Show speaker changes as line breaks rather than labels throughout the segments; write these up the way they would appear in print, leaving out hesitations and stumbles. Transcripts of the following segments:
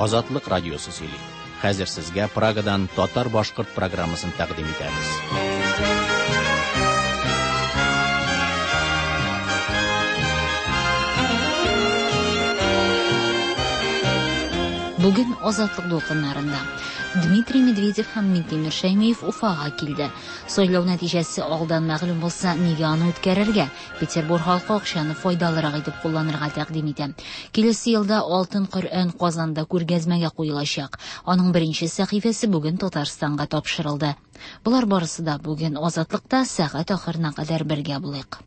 Азатлык радиосы сөйли. Хәзер сезгә Прагадан татар-башкорт программасын тәкъдим итәбез.
Бүген Азатлык дулкыннарында Дмитрий Медведев һәм Минтимер Шәймиев Уфага килде. Сайлау нәтиҗәсе алдан мәгълүм булса, нигә аны үткәрергә? Петербур халкы акчаны файдалырак итеп кулланырга тәкъдим итә. Киләсе елда Алтын Коръән Казанда күргәзмәгә куелачак. Аның беренче сәхифәсе бүген Татарстанга тапшырылды. Болар барысы да бүген Азатлыкта сәгать ахырына кадәр бергә булыйк.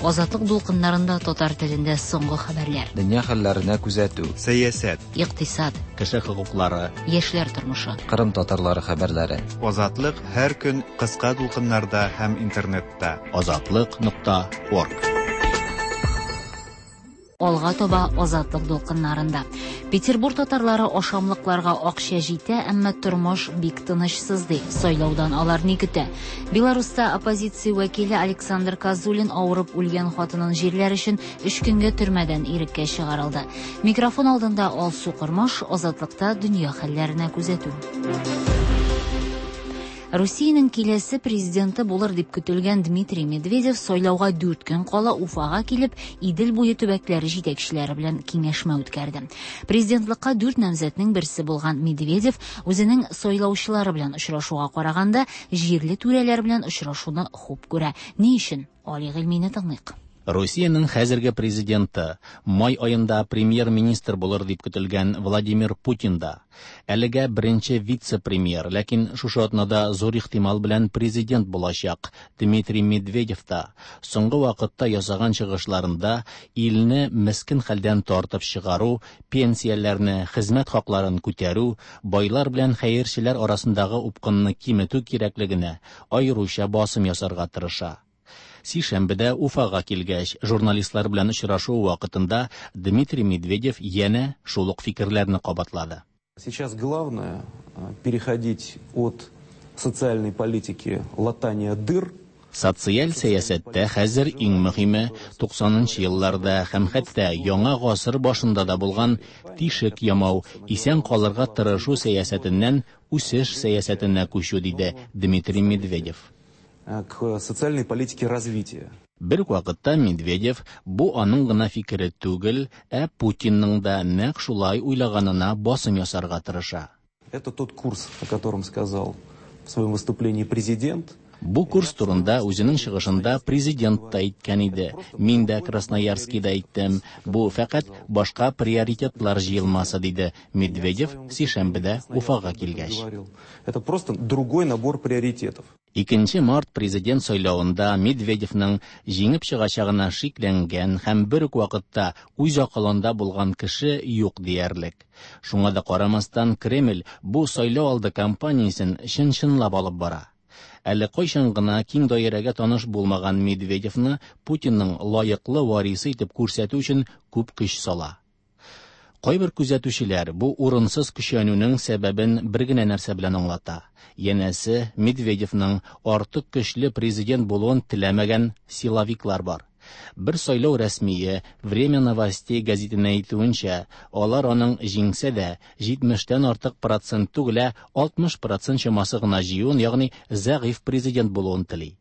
Азатлык дулкыннарында татар телендә соңгы хәбәрләр.
Дөнья хәлләренә күзәтү.
Сәясәт.
Икътисад.
Кеше хокуклары.
Яшьләр тормышы.
Кырым татарлары хәбәрләре.
Азатлык һәр көн кыска дулкыннарда һәм интернетта.
Азатлык нокта орг.
Алга таба Азатлык дулкыннарында. Петербур татарлары ашамлыкларга акча җитә, әмма тормыш бик тынычсыз ди. Сайлаудан алар ни көтә? Беларуста оппозиция вәкиле Александр Козулин авырып үлгән хатынын җирләр өчен өч көнгә төрмәдән иреккә чыгарылды. Микрофон алдында Алсу Кормаш, Азатлыкта дөнья хәлләренә күзәтү. Русиянең киләсе президенты булыр дип көтелгән Дмитрий Медведев сайлауга 4 көн кала Уфага килеп, Идел буе төбәкләре җитәкчеләре белән киңәшмә үткәрде. Президентлыкка 4 намзәтнең берсе булган Медведев үзенең сайлаучылары белән очрашуга караганда, җирле түрәләр белән очрашуны хуп күрә. Ни өчен? Али Гыйльмине тыңлыйк.
Русиянең хәзерге президенты, май аенда премьер-министр булыр дип көтелгән Владимир Путин да, әлегә беренче вице-премьер, ләкин шушы атнада зур ихтимал белән президент булачак Дмитрий Медведев та соңгы вакытта ясаган чыгышларында илне мескен хәлдән тартып чыгару, пенсияләрне, хезмәт хакларын күтәрү, байлар белән хәерчеләр арасындагы упкынны киметү кирәклегенә аеруча басым ясарга тырыша. Сишәмбедә Уфага килгәч, журналистлар белән очрашу вакытында Дмитрий Медведев янә шул ук фикерләрне кабатлады.
Сейчас главное переходить от социальной политики латания дыр.
Социаль сәясәттә хәзер иң мөһиме 90нчы елларда һәм хәтта яңа гасыр башында да булган тишек ямау, исән калырга тырышу сәясәтеннән үсеш сәясәтенә күчү, диде Дмитрий Медведев.
К социальной политике развития.
Бер үк вакытта Медведев бу аның гына фикере түгел, ә Путинның да нәкъ шулай уйлаганына басым ясарга тырыша.
Это тот курс, о котором сказал в своем выступлении президент.
Бу курс турында үзенең чыгышында президент та әйткән иде. Мин дә Красноярскийда әйттем. Бу фәкать башка приоритетлар җыелмасы, диде Медведев сишәмбедә Уфага килгәч.
Это просто другой набор приоритетов.
2 март президент сайлавында Медведевның җиңеп чыгачагына шикләнгән һәм бер үк вакытта үз акылында булган кеше юк диярлек. Шуңа да карамастан Кремль бу сайлау алды кампаниясен чын-чынлап алып бара. Әле кайчан гына киң даирәгә таныш булмаган Медведевны Путинның лаеклы варисы итеп күрсәтү өчен күп көч сала. Кайбер күзәтүчеләр бу урынсыз көчәнүнең сәбәбен бер генә нәрсә белән аңлата. Янәсе, Медведевның артык көчле президент булуын теләмәгән силовиклар бар. Бер сайлау рәсмие Время новостей гәзитенә әйтүенчә, алар аның җиңсә дә 70-тән артык процент түгел, ә 60 процент чамасы гына җыюын, ягъни зәгыйфь президент булуын тели.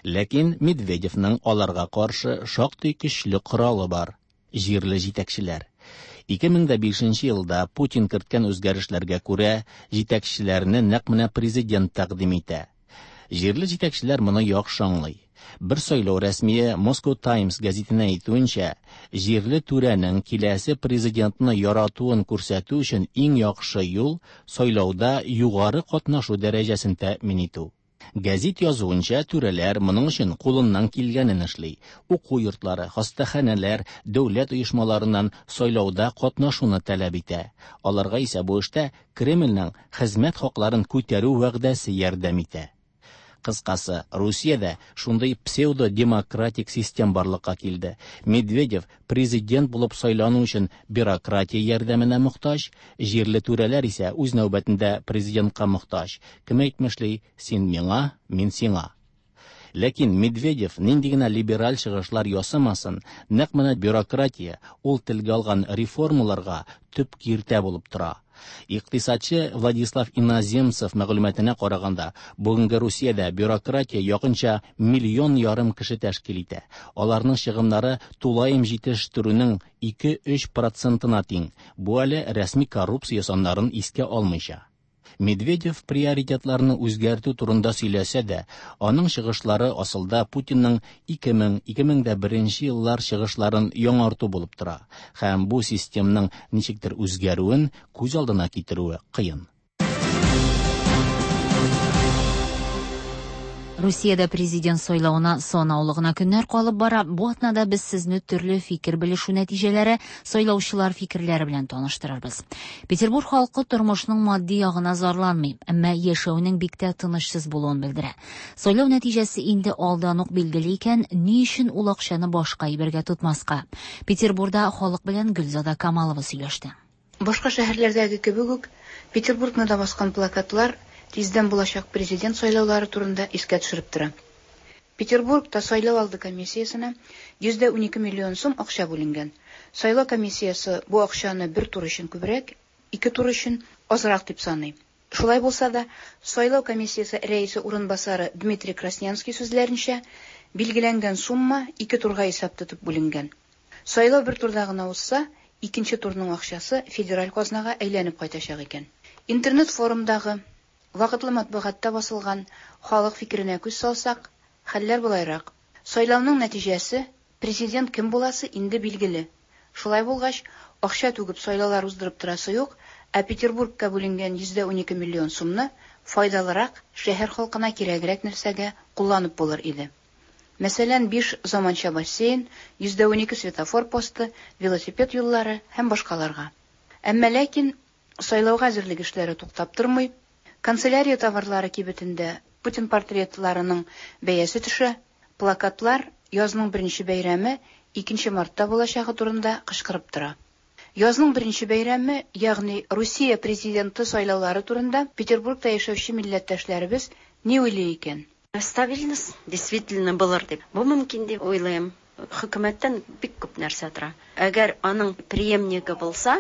Ләкин Медведевның аларга каршы шактый көчле коралы бар җирле җитәкчеләр. 2005 елда Путин керткән үзгәрешләргә күрә, җитәкчеләрне нәкъ менә президент тәкъдим итә. Җирле җитәкчеләр моны яхшы аңлый. Бер сайлау рәсмие Moscow Times гәзитенә әйтүенчә, җирле түрәнең киләсе президентны яратуын күрсәтү өчен иң яхшы юл сайлауда югары катнашу дәрәҗәсен тәэмин итү. Гәзит язуынча, түрәләр моның өчен кулыннан килгәнен эшли. Уку йортлары, хастаханәләр, дәүләт оешмаларыннан сайлауда катнашуны таләп итә. Аларга исә бу эштә Кремльнең хезмәт хакларын күтәрү вәгъдәсе ярдәм итә. Кыскасы, Русиядә шундый псевдо-демократик систем барлыкка килде. Медведев президент булып сайлану өчен бюрократия ярдәменә мохтаҗ, җирле түрәләр исә үз нәүбәтендә президентка мохтаҗ. Кем әйтмешли, син миңа, мин сиңа. Ләкин Медведев нинди генә либераль чыгышлар ясамасын, нәкъ менә бюрократия ул телгә алган реформаларга төп киртә булып тора. Икътисадчы Владислав Иноземцев мәгълүматына караганда, бүгенге Русиядә бюрократия якынча 1,5 миллион кеше тәшкил итә. Аларның чыгымнары тулаем җитештерүнең 2-3 процентына тиң. Бу әле рәсми коррупция саннарын искә алмыйча. Медведев приоритетларны үзгәртү турында сөйләсә дә, аның чыгышлары асылда Путинның 2000-2001 еллар чыгышларын яңарту булып тора һәм бу системның ничектер үзгәрүен күз алдына китерүе кыен.
Русиядә президент сайлавына санаулы гына көннәр калып бара. Бу атнада без сезне төрле фикер белешү нәтиҗәләре, сайлаучылар фикерләре белән таныштырырбыз. Петербург халкы тормышның матди ягына зарланмый, әмма яшәүнең бик тә тынычсыз булуын белдерә. Сайлау нәтиҗәсе инде алдан ук билгеле икән, ни өчен ул акчаны башка әйбергә тотмаска? Петербурда халык белән Гөлзада Камалова сөйләште.
Башка шәһәрләрдәге кебек үк, Петербургны да баскан плакатлар тиздән булачак президент сайлаулары турында искә төшереп тора. Петербургта сайлау алды комиссиясенә 112 миллион сум акча бүленгән. Сайлау комиссиясе бу акчаны бер тур өчен күбрәк, ике тур өчен азрак дип саный. Шулай булса да, сайлау комиссиясе рәисе урынбасары Дмитрий Краснянский сүзләренчә, билгеләнгән сумма ике турга исәп тотып бүленгән. Сайлау бер турда гына узса, икенче турның акчасы федераль казнага әйләнеп кайтачак икән. Интернет-форумдагы вакытлы матбугатта басылган халык фикеренә күз салсак, хәлләр болайрак. Сайлауның нәтиҗәсе, президент кем буласы инде билгеле. Шулай булгач, акча түгеп сайлаулар уздырып торасы юк, ә Петербургка бүленгән 112 миллион сумны файдалырак, шәһәр халкына кирәгрәк нәрсәгә кулланып булыр иде. Мәсәлән, 5 заманча бассейн, 112 светофор посты, велосипед юллары һәм башкаларга. Әмма ләкин сайлауга әзерлек эшләре туктап тормый. Канцелярия товарлары кибетендә Путин портретларының бәясе төшә, плакатлар язның беренче бәйрәме 2 мартта булачагы турында кычкырып тора. Язның беренче бәйрәме, ягъни Русия президенты сайлаулары турында Петербургта яшәүче милләттәшләребез ни уйлый икән?
Стабильность действительно булыр дип. Бу мөмкин дип уйлыйм. Хөкүмәттән бик күп нәрсә тора. Әгәр аның преемнигы булса,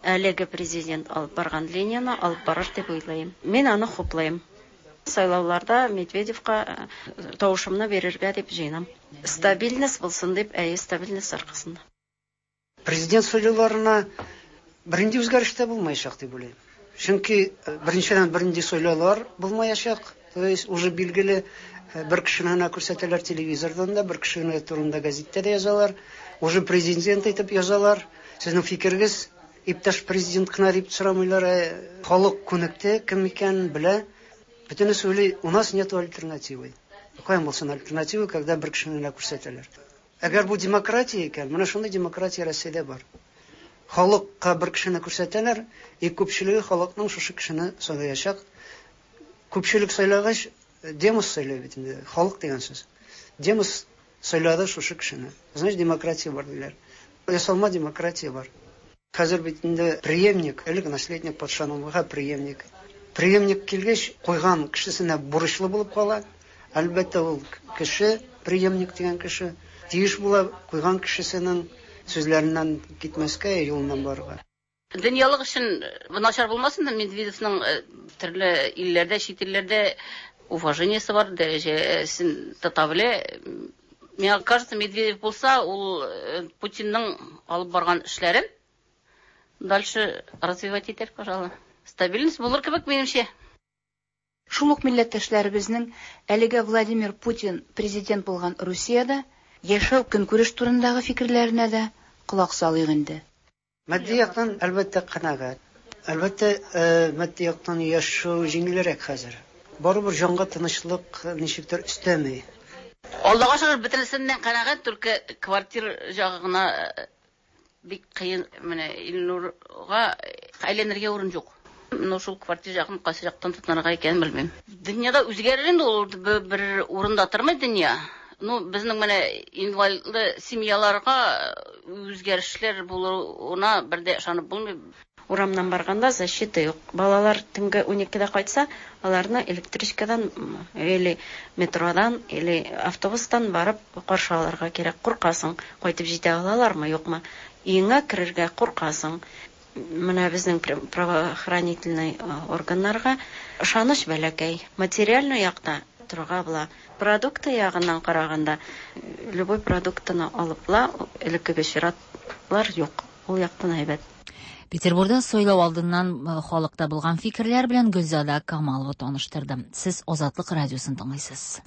әлеге президент алып барган линияне алып барыр дип уйлыйм. Мин аны хуплыйм. Сайлауларда Медведевка тавышымны бирергә дип җыенам. Стабильность булсын дип, әйе, стабильность аркасында.
Президент сайлауларына бернинди үзгәреш тә булмаячак дип уйлыйм. Чөнки беренчедән бернинди сайлаулар булмаячак. То есть уже билгеле бер кешене генә күрсәтәләр телевизордан да, бер кешене турында газетта да язалар. Уже президент итеп язалар. Сезнең фикерегез, иптәш президент кына дип сорамыйлар. Халык күнекте, кем икәнен белә. Бөтенесе уйлый, у нас нету альтернативы. Каян булсын альтернатива, когда бер кешене генә күрсәтәләр. Әгәр бу демократия икән, менә шундый демократия Россиядә бар. Халыкка бер кешене күрсәтәләр, и күпчелеге халыкның шушы кешене сайлаячак. Күпчелек сайлагач, демос сайлый бит инде, халык дигән сүз. Демос сайлады шушы кешене. Значит, демократия бар диләр. Ясалма демократия бар. Хәзер бит инде преемник, элек наследник патшаның преемник. Преемник килгәч, куйган кешесенә бурычлы булып кала. Әлбәттә, ул кеше, преемник дигән кеше, тиеш була куйган кешесенең сүзләреннән китмәскә, юлыннан барырга.
Дөньялык өчен начар булмасын да, Медведевның төрле илләрдә, чит илләрдә уважениесе бар, дәрәҗәсен тота белә. Миңа кажется, Медведев булса, ул Путинның алып барган эшләрен дальше развивать итәр, пожалуй. Стабильность булыр кебек, минемчә.
Шул ук милләттәшләребезнең әлегә Владимир Путин президент булган Русиядә яшәү көнкүреш турындагы фикерләренә дә колак салыйк инде.
Матди яктан әлбәттә канәгать. Әлбәттә, матди яктан яшәү җиңелрәк хәзер. Барыбер җанга тынычлык ничектер өстәми.
Аллага шөкер, бөтенесеннән канәгать, только квартира ягы гына бик кыен. Менә Илнурга әйләнергә урын юк. Но шул квартира ягын кайсы яктан тотынырга икәнен белмим. Дөньяда үзгәрер инде ул, бер урында тормый дөнья. Ну, безнең менә инвалидлы семьяларга үзгәрешләр булуына бер дә ышанып булмый.
Урамнан барганда защита юк. Балалар төнге 12-дә кайтса, аларны электричкадан или метродан, или автобустан барып каршы алырга кирәк. Куркасың, кайтып җитә алалармы, юкмы. Өеңә керергә куркасың. Менә безнең правоохранительный органнарга ышаныч бәләкәй. Материальный якта торырга була. Продукты ягыннан караганда, любой продуктыны алып була, элеккеге чиратлар юк. Ул яктан әйбәт.
Петербурда сайлау алдыннан халыкта булган фикерләр белән Гөлзада Камалова таныштырды. Сез Азатлык радиосын тыңлыйсыз.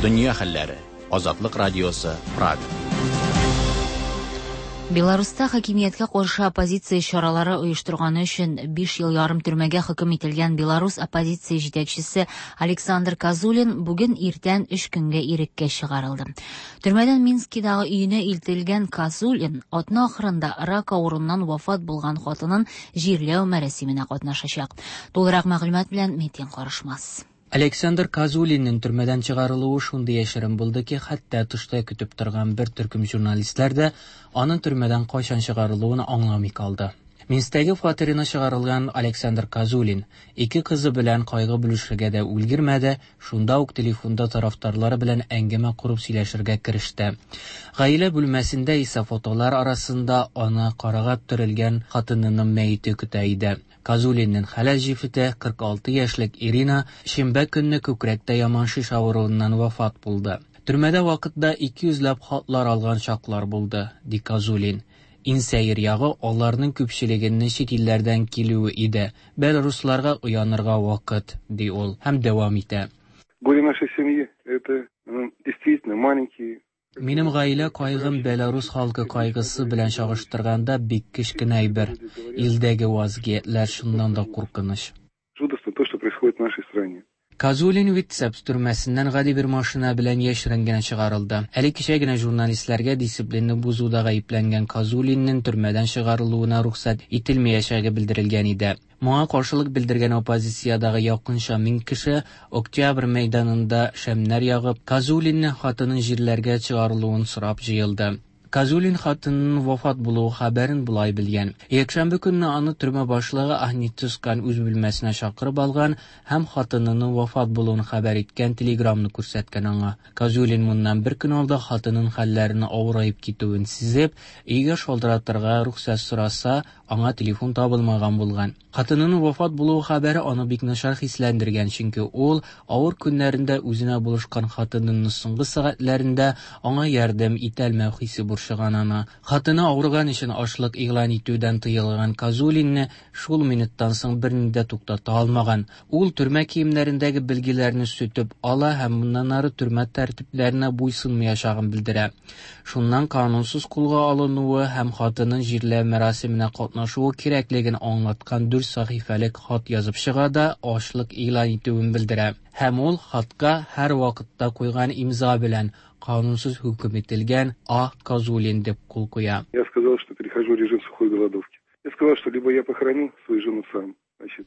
Дөнья хәлләре. Азатлык радиосы, Прага.
Беларуста хакимияткә каршы оппозиция чаралары оештырганы өчен 5 ел ярым төрмәгә хөкем ителгән Беларус оппозиция җитәкчесе Александр Козулин бүген иртән 3 көнгә иреккә чыгарылды. Төрмәдән Минскидагы өенә илтелгән Козулин атна ахырында рак авыруыннан вафат булган хатынын җирләү мәрасименә катнашачак. Тулырак мәгълүмат белән Метин Карышмас.
Александр Козулинның төрмәдән чыгарылуы шундый яшерен булды ки, хәтта тышта көтеп торган бер төркем журналистлар да аның төрмәдән кайчан чыгарылуын аңламый калды. Минсктәге фатирына чыгарылган Александр Козулин ике кызы белән кайгы бүлешергә дә өлгермәде, шунда ук телефонда тарафдарлары белән әңгәмә корып сөйләшергә кереште. Гаилә бүлмәсендә исә фотолар арасында аны карага төрелгән хатынының мәете көтә иде. Козулинның хәләл җефете 46 яшьлек Ирина шимбә көнне күкрәктә яман шеш авыруыннан вафат булды. Төрмәдә вакытта 200 ләп хатлар алган чаклар булды, ди Козулин. Иң сәер ягы аларның күпчелегенең чит илләрдән килүе иде. Белорусларга уянырга вакыт, ди ул һәм дәвам итә.
Горе нашей семьи это действительно маленький.
Минем гаилә кайгым Белорус халкы кайгысы белән чагыштырганда бик кечкенә әйбер. Илдәге вазгыятьләр чыннан да куркыныч.
Жутко то, что происходит в нашей стране.
Козулин Витебск төрмәсеннән гади бер машина белән яшерен генә чыгарылды. Әле кичә генә журналистларга дисциплинны бозуда гаепләнгән Козулинның төрмәдән чыгарылуына рөхсәт ителмәячәге белдерелгән иде. Моңа каршылык белдергән оппозициядагы якынча 1000 кеше Октябрь мәйданында шәмнәр ягып, Козулинның хатынын җирләргә чыгарылуын сорап җыелды. Козулин хатынының вафат булуы хәбәрен болай белгән. Якшәмбе көнне аны төрмә башлыгы Ахмед Цускан үз бүлмәсенә чакырып алган һәм хатынының вафат булуын хәбәр иткән телеграмны күрсәткән аңа. Козулин моннан бер көн алда хатынының хәлләренең авыраеп китүен сизеп, өйгә шалтыратырга рөхсәт сораса, аңа телефон табылмаган булган. Хатынының вафат булуы хәбәре аны бик начар хисләндергән, чөнки ул авыр көннәрендә үзенә булышкан хатынының соңгы сәгатьләрендә аңа ярдәм итәлмәү хисе борчыган аны. Хатыны авырган өчен ачлык игълан итүдән тыелган Козулинны шул минуттан соң берни дә туктата алмаган. Ул төрмә киемнәрендәге билгеләрне сүтеп ала һәм моннан ары төрмә тәртипләренә буйсынмаячагын белдерә. Шуннан канунсыз кулга алынуы һәм хатынын җирләү мәрасименә катнашуы кирәклеген аңлаткан 4 сәхифәлек хат язып чыга да ачлык игълан итүен белдерә. Һәм ул хатка һәр вакытта куйган имза белән канунсыз хөкем ителгән А. Козулин дип кул куя.
Я сказал, что перехожу в режим сухой голодовки. Я сказал, что либо я похороню свою жену сам.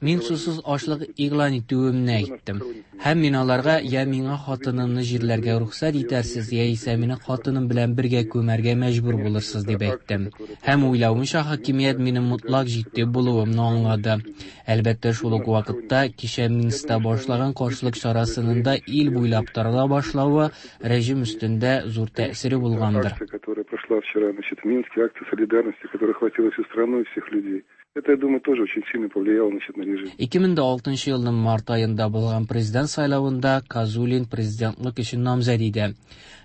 Мин сусыз ачлык игълан итүемне әйттем. Һәм мин аларга я миңа хатынымны җирләргә рөхсәт итәрсез, яисә мине хатыным белән бергә күмәргә мәҗбүр булырсыз дип әйттем. Һәм уйлавымча, хакимият минем мутлак җитди булуымны аңлады. Әлбәттә, шул ук вакытта кичә Минскта башлаган каршылык чарасының да ил буйлап тарала башлавы режим өстендә зур тәэсире булгандыр.
Акция, которая прошла вчера, значит, в Минске, акция солидарности, которая охватила всю страну и всех людей. Это, я думаю, тоже очень сильно повлияло, значит, на режим.
2006 елның март аенда булган президент сайлавында Козулин президентлык өчен намзәт иде.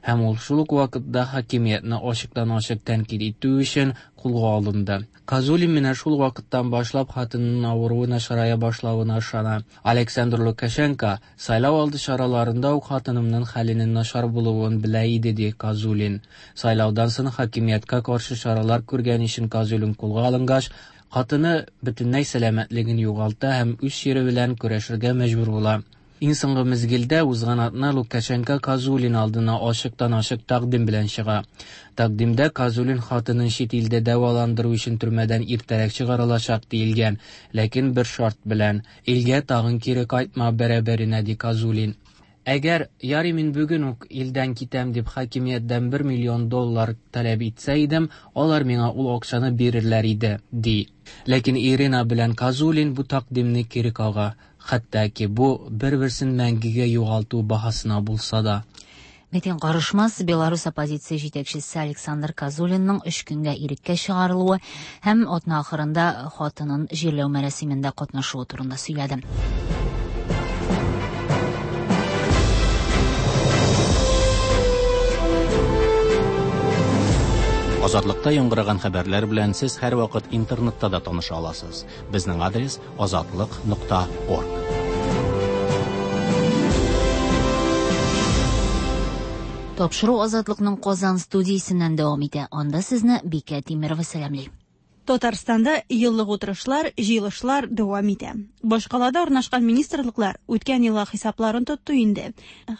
Һәм ул шул ук вакытта хакимиятне ачыктан-ачык тәнкыйть итү өчен кулга алынды. Козулин менә шул вакыттан башлап хатынының авыруы начарая башлавына ышана. Александр Лукашенко сайлау алды чараларында ук хатынымның хәленең начар булуын белә иде, ди Козулин. Сайлаудан соң хакимияткә каршы чаралар күргән өчен Козулин кулга алынгач, хатыны бөтенләй сәламәтлеген югалта һәм үз чире белән көрәшергә мәҗбүр була. Иң соңгы мизгелдә узган атна Лукашенко Козулин алдына ачыктан-ачык тәкъдим белән чыга. Тәкъдимдә Козулин хатынын чит илдә дәваландыру өчен төрмәдән иртәрәк чыгарылачак диелгән, ләкин бер шарт белән: илгә тагын кире кайтма бәрабәренә, ди Козулин. Әгәр, ярый мин бүген үк илдән китәм дип хакимияттән бер миллион доллар таләп итсә идем, алар миңа ул акчаны бирерләр иде, ди. Ләкин Ирина белән Козулин бу тәкъдимне кире кага, хәтта ки бу бер-берсен мәңгегә югалту баһасына булса да.
Митинг карышмас Беларус оппозиция җитәкчесе Александр Козулинның өч көнгә иреккә чыгарылуы һәм атна ахырында хатынын җирләү мәрасимендә катнашуы турында сөйләде.
Азатлыкта яңгыраган хәбәрләр белән сез һәрвакыт интернетта да таныша аласыз. Безнең адрес azatliq.org.
Тапшыру Азатлыкның Казан студиясеннән дәвам итә. Анда сезне Бикә Тимерова сәламли.
Татарстанда еллык утырышлар, җыелышлар дәвам итә. Башкалада урнашкан министрлыклар үткән елга хисапларын тотты инде.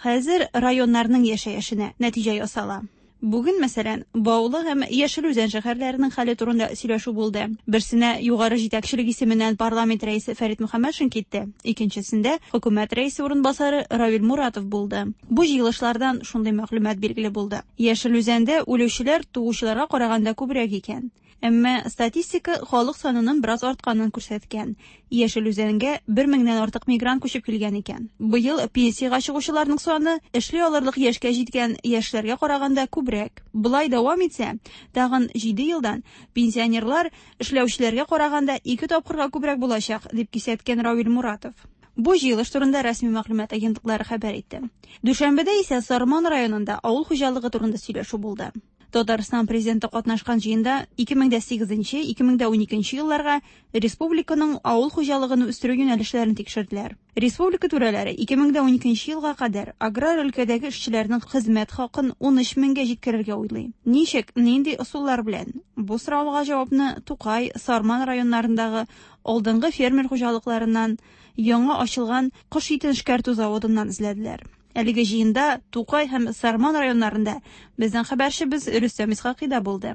Хәзер районнарның яшәешенә нәтиҗә ясала. Бүген, мәсәлән, Баулы һәм Яшел Үзән шәһәрләренең хәле турында сөйләшү булды. Берсенә югары җитәкчелек исеменнән парламент рәисе Фәрит Мөхәммәтшин китте, икенчесендә хөкүмәт рәисе урынбасары Равил Муратов булды. Бу җыелышлардан шундый мәгълүмат билгеле булды. Яшел Үзәндә үлүчеләр туучыларга караганда күбрәк икән. Әмма статистика халык санының бераз артканын күрсәткән. Яшел Үзәнгә 1 меңнән артык мигрант күчеп килгән икән. Быел пенсиягә чыгучыларның саны эшли алырлык яшькә җиткән яшьләргә караганда күбрәк. Болай дәвам итсә, тагын 7 елдан пенсионерлар эшләүчеләргә караганда 2 тапкырга күбрәк булачак, дип кисәткән Равил Муратов. Бу җыелыш турында рәсми мәгълүмат агентлыклары хәбәр итте. Дүшәмбедә исә Сарман районында авыл хуҗалыгы турында сөйләшү булды. Татарстан президенты катнашкан җыенда 2008-2012 елларга республиканың авыл хуҗалыгын үстерү юнәлешләрен тикшерделәр. Республика түрәләре 2012 елга кадәр аграр өлкәдәге эшчеләрнең хезмәт хакын 13 меңгә җиткерергә уйлый. Ничек, нинди ысуллар белән? Бу сорауга җавапны Тукай, Сарман районнарындагы алдынгы фермер хуҗалыкларыннан, яңа ачылган кош итен эшкәртү заводыннан эзләделәр. Әлеге җыенда Тукай һәм Сарман районнарында безнең хәбәрчебез Рөстәм Исхакый да булды.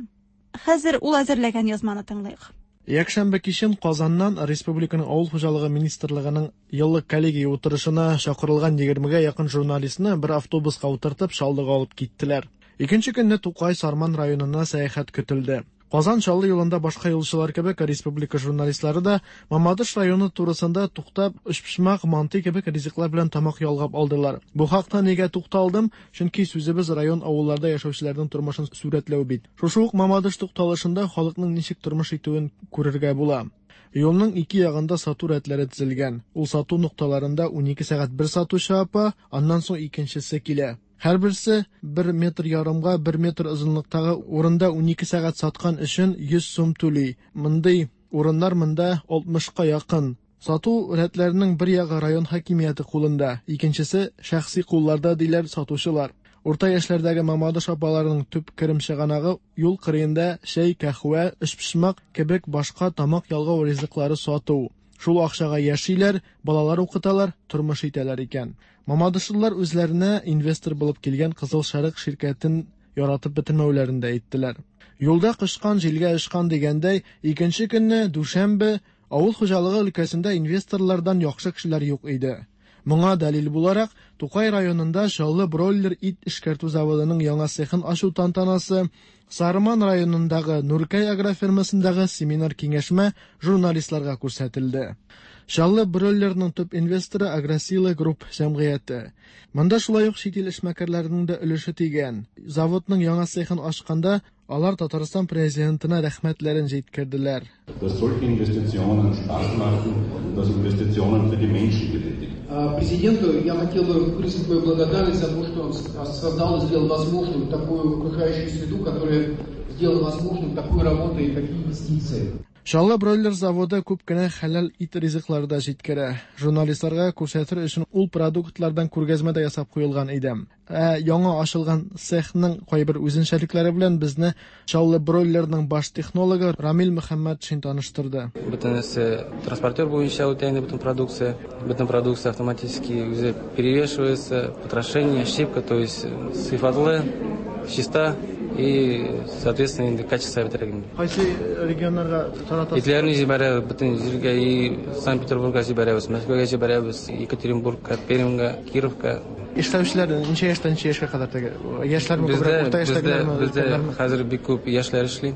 Хәзер ул әзерләгән язманы тыңлыйк.
Якшәмбе кичен Казаннан Республиканың Авыл хуҗалыгы министрлыгының еллык коллегия утырышына чакырылган 20-гә якын журналистны бер автобуска утыртып Чаллыга алып киттеләр. Икенче көнне Тукай Сарман районына сәяхәт көтелде. Казан Чаллы юлында башка юлчылар кебек республика журналистлары да Мамадыш районы турысында туктап, өчпочмак, мантый кебек ризыклар белән тамак ялгап алдылар. Бу хакта нигә тукталдым? Чөнки сүзебез район авылларда яшәүчеләрнең тормышын сурәтләү бит. Шушы ук Мамадыш тукталышында халыкның ничек тормыш итүен күрергә була. Юлның ике ягында сату рәтләре төзелгән. Ул сату нокталарында 12 сәгать бер сатучы апа, аннан соң икенчесе килә. Һәрберсе 1 метр ярымга 1 метр озынлыктагы урында 12 сәгать саткан өчен 100 сум түли. Мондый урыннар монда 60-ка якын. Сату рәтләренең бер ягы район хакимияте кулында, икенчесе шәхси кулларда, диләр сатучылар. Урта яшьләрдәге Мамадыш апаларының төп керем чыганагы юл кырыенда чәй, кәһвә, өчпочмак кебек башка тамак ялгау ризыклары сату. Шул акчага яшиләр, балалар укыталар, тормыш итәләр икән. Мамадышлылар үзләренә инвестор булып килгән Кызыл Шәрык ширкәтен яратып бетермәүләрен дә әйттеләр. Юлда кычкан җилгә очкан дигәндәй, икенче көнне дүшәмбе авыл хуҗалыгы өлкәсендә инвесторлардан яхшы кешеләр юк иде. Моңа дәлил буларак, Тукай районында Чаллы бройлер ит эшкәртү заводының яңа цехын ачу тантанасы, Сарман районындагы Нуркәй агрофирмасындагы семинар-киңәшмә журналистларга күрсәтелде. Чаллы бройлерның төп инвесторы Агросила Групп җәмгыяте. Монда шулай ук чит ил эшмәкәрләренең дә өлеше тигән. Заводның яңа цехын ачканда алар Татарстан президентына рәхмәтләрен җиткерделәр.
Dass solche Investitionen Spaß machen und dass Investitionen für die Menschen getätigt.
Президенту я хотел бы выразить мою благодарность за то, что он создал и сделал возможным такую окружающую среду, которая сделала возможным такую работу и такие инвестиции.
Чаллы бройлер заводы күп кенә хәләл ит ризыклары да җиткерә. Журналистларга күрсәтер өчен ул продуктлардан күргәзмә дә ясап куелган иде. Ә яңа ачылган цехның кайбер үзенчәлекләре белән безне Чаллы бройлерның баш технологы Рамил Мөхәммәтшин таныштырды.
Бөтенесе транспортер буенча үтә инде бөтен продукция. Бөтен продукция автоматически үзе перевешивается, потрошение, щипка, то есть сыйфатлы, чиста и, соответственно, инде качество бетерә инде.
Кайсы регионнарга таратасыз?
Итләрне җибәрәбез бөтен җиргә, и Санкт-Петербургка җибәрәбез, Мәскәүгә җибәрәбез, Екатеринбургка, Пермьгә, Кировка.
Эшләүчеләр ничә яшьтән ничә яшькә кадәр теге? Яшьләрме күбрәк, урта яшьтәгеләрме?
Бездә хәзер бик күп яшьләр эшли.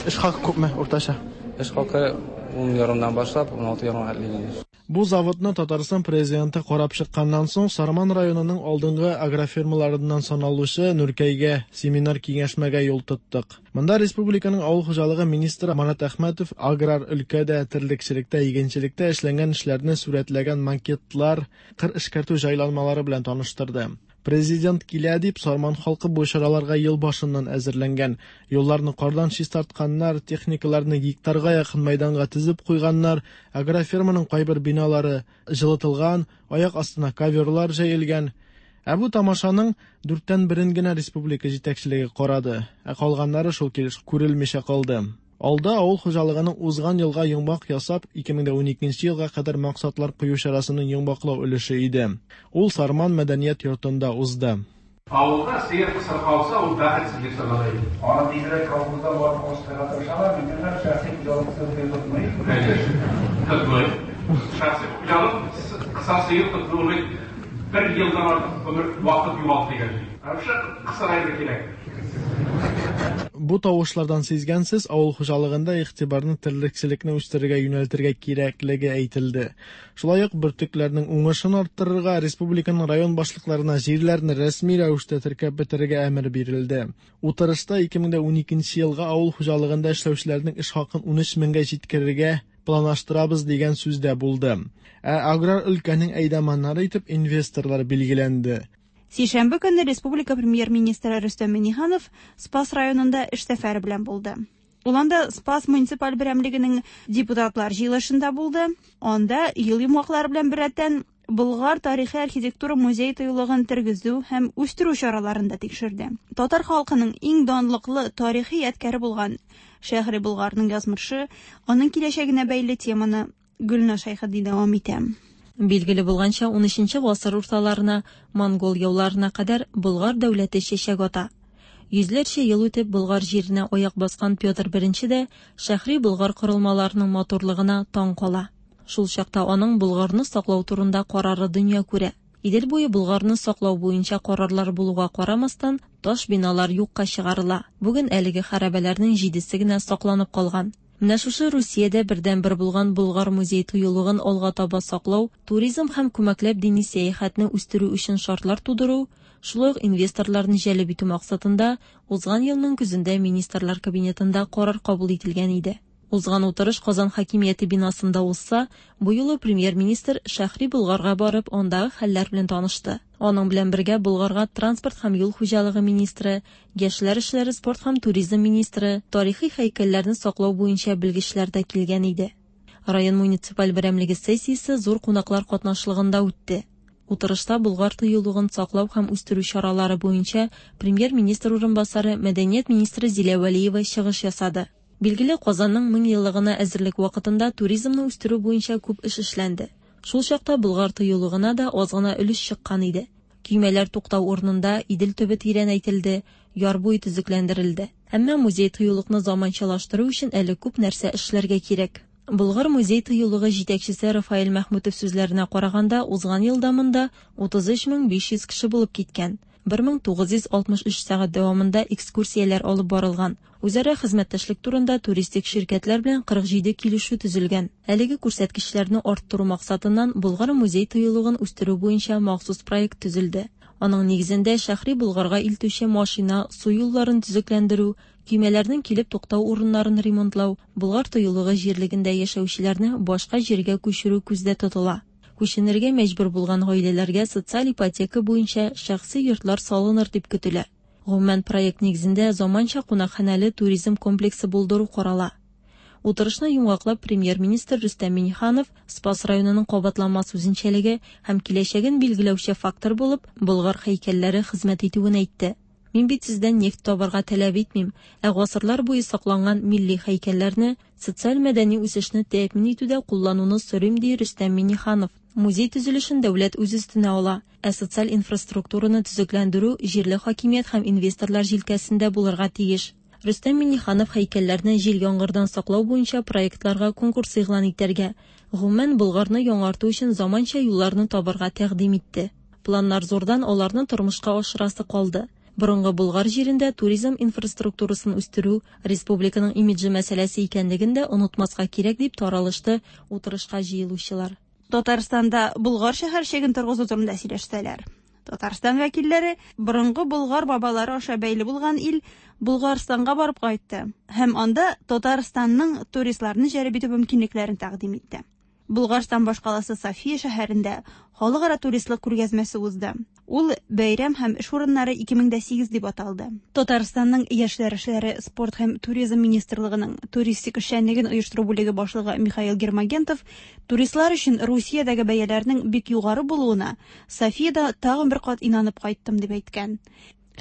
Эш хакы күпме уртача?
Эш хакы 10 ярымнан башлап 16 ярымга хәтле.
Бу заводны Татарстан Президенты карап чыкканнан соң, Сарман районының алдынгы агрофирмаларыннан саналучы Нөркәйгә семинар-киңәшмәгә юл тоттык. Монда республиканың авыл хуҗалыгы министры Марат Әхмәтов аграр өлкәдә, терлекчелектә, игенчелектә эшләнгән эшләрне сурәтләгән макетлар, кыр эшкәртү җайланмалары белән таныштырды. Президент килә дип, Сарман халкы бу чараларга ел башыннан әзерләнгән. Юлларны кардан чистартканнар, техникаларны гектарга якын мәйданга тезеп куйганнар, агрофирманың кайбер биналары җылытылган, аяк астына коверлар җәелгән. Ә бу тамашаның дүрттән берен генә республика җитәкчелеге карады, ә калганнары шул килеш күрелмичә калды. Алда авыл хуҗалыгының узган елга йомгак ясап, 2012 елга кадәр максатлар кую чарасының йомгаклау өлеше иде. Ул Сарман мәдәният йортында узды.
Авылда сыер кысыр калса, ул бәхетсезлек санала иде.
Аны тизрәк колхозда барып алыштырырга тырышалар, миннән шәхси хуҗалык сыер тотмый.
Тотмый. Шәхси хуҗалык кысыр сыер тоту ул бит бер елдан артык гомер вакыт югалт дигән сүз. Вообще кысыр әйбер кирәк.
Бу тавышлардан сизгәнсез, авыл хуҗалыгында игътибарны терлекчелекне үстерергә юнәлтергә кирәклеге әйтелде. Шулай ук бөртекләрнең уңышын арттырырга, республиканың район башлыкларына җирләрне рәсми рәвештә теркәп бетерергә әмер бирелде. Утырышта 2012 елга авыл хуҗалыгында эшләүчеләрнең эш хакын 13 меңгә җиткерергә планлаштырабыз дигән сүз дә булды. Ә аграр өлкәнең әйдаманнары итеп инвесторлар билгеләнде.
Сишәмбе көнне республика премьер-министры Рөстәм Миңнеханов Спас районында эш сәфәре белән булды. Ул анда Спас муниципаль берәмлегенең депутатлар җыелышында булды. Анда ел йомгаклары белән беррәттән Болгар тарихи архитектура музей тыюлыгын тергезү һәм үстерү чараларын да тикшерде. Татар халкының иң данлыклы тарихи ядкәре булган Шәһри Болгарның язмышы, аның киләчәгенә бәйле теманы Гөлназ Шәйхетди дәвам итә.
Билгеле булганча, унөченче гасыр урталарына, монгол яуларына кадәр Болгар дәүләте чәчәк ата. Йөзләрчә ел үтеп, Болгар җиренә аяк баскан Петр I дә Шәһри Болгар корылмаларының матурлыгына таң кала. Шул чакта аның Болгарны саклау турында карары дөнья күрә. Идел буе Болгарны саклау буенча карарлар булуга карамастан, таш биналар юкка чыгарыла. Бүген әлеге хәрабәләрнең җидесе генә сакланып калган. Менә шушы Русиядә бердәнбер булган Болгар музей-тыюлыгын алга таба саклау, туризм һәм күмәкләп дини сәяхәтне үстерү өчен шартлар тудыру, шулай ук инвесторларны җәлеп итү максатында узган елның көзендә Министрлар Кабинетында карар кабул ителгән иде. Узган утырыш Казан хакимияте бинасында узса, бу юлы премьер-министр Шәһри Болгарга барып, андагы хәлләр белән танышты. Аның белән бергә Болгарга транспорт һәм юл хуҗалыгы министры, яшьләр эшләре, спорт һәм туризм министры, тарихи һәйкәлләрне саклау буенча белгечләр дә килгән иде. Район муниципаль берәмлеге сессиясе зур кунаклар катнашлыгында үтте. Утырышта Болгар тыюлыгын саклау һәм үстерү чаралары буенча премьер-министр урынбасары, мәдәният министры Зилә Вәлиева чыгыш ясады. Билгеле, Казанның 1000 еллыгына әзерлек вакытында туризмны үстерү буенча күп эш эшләнде. Шул чакта Болгар тыюлыгына да аз гына өлеш чыккан иде. Көймәләр туктау урынында Идел төбе тирәнәйтелде, яр буе төзекләндерелде. Әмма музей-тыюлыкны заманчалаштыру өчен әле күп нәрсә эшләргә кирәк. Болгар музей-тыюлыгы җитәкчесе Рафаэль Мәхмүтов сүзләренә караганда, узган елда монда 33 500 кеше булып киткән. 1963 сәгать дәвамында экскурсияләр алып барылган. Үзара хезмәттәшлек турында туристик ширкәтләр белән 47 килешү төзелгән. Әлеге күрсәткечләрне арттыру максатыннан Болгар музей-тыюлыгын үстерү буенча махсус проект төзелде. Аның нигезендә Шәһри Болгарга илтүче машина, су юлларын төзекләндерү, көймәләрнең килеп туктау урыннарын ремонтлау, Болгар тыюлыгы җирлегендә яшәүчеләрне башка җиргә күчерү күздә тотыла. Күченергә мәҗбүр булган гаиләләргә социаль ипотека буенча шәхси йортлар салыныр дип көтелә. Гомумән, проект нигезендә заманча кунакханәле туризм комплексы булдыру карала. Утырышны йомгаклап премьер-министр Рөстәм Миңнеханов Спас районының кабатланмас үзенчәлеге һәм киләчәген билгеләүче фактор булып Болгар һәйкәлләре хезмәт итүен әйтте. Мин бит сездән нефть табарга таләп итмим, ә гасырлар буе сакланган милли һәйкәлләрне социаль-мәдәни үсешне тәэмин итүдә куллануны сорыйм, ди Рөстәм Миңнеханов. Музей төзелешен дәүләт үз өстенә ала, ә социаль инфраструктураны төзекләндерү җирле хакимият һәм инвесторлар җилкәсендә булырга тиеш. Рөстәм Миңнеханов һәйкәлләрне җил-яңгырдан саклау буенча проектларга конкурс игълан итәргә, гомумән, Болгарны яңарту өчен заманча юлларны табарга тәкъдим итте. Планнар зурдан, аларны тормышка ашырасы калды. Борынгы Болгар җирендә туризм инфраструктурасын үстерү республиканың имиджы мәсьәләсе икәнлеген дә онытмаска кирәк, дип таралышты утырышка җыелучылар.
Татарстанда Болгар шәһәрчеген торгызу турында сөйләштеләр. Татарстан вәкилләре борынгы болгар бабалары аша бәйле булган ил Болгарстанга барып кайтты һәм анда Татарстанның туристларны җәлеп итү мөмкинлекләрен тәкъдим итте. Болгарстан башкаласы София шәһәрендә халыкара туристлык күргәзмәсе узды. Ул Бәйрәм һәм эш урыннары 2008 дип аталды. Татарстанның Яшьләр эшләре, спорт һәм туризм министрлыгының туристик эшчәнлеген оештыру бүлеге башлыгы Михаил Гермогентов туристлар өчен Русиядәге бәяләрнең бик югары булуына Софиядә тагын бер кат инанып кайттым дип әйткән.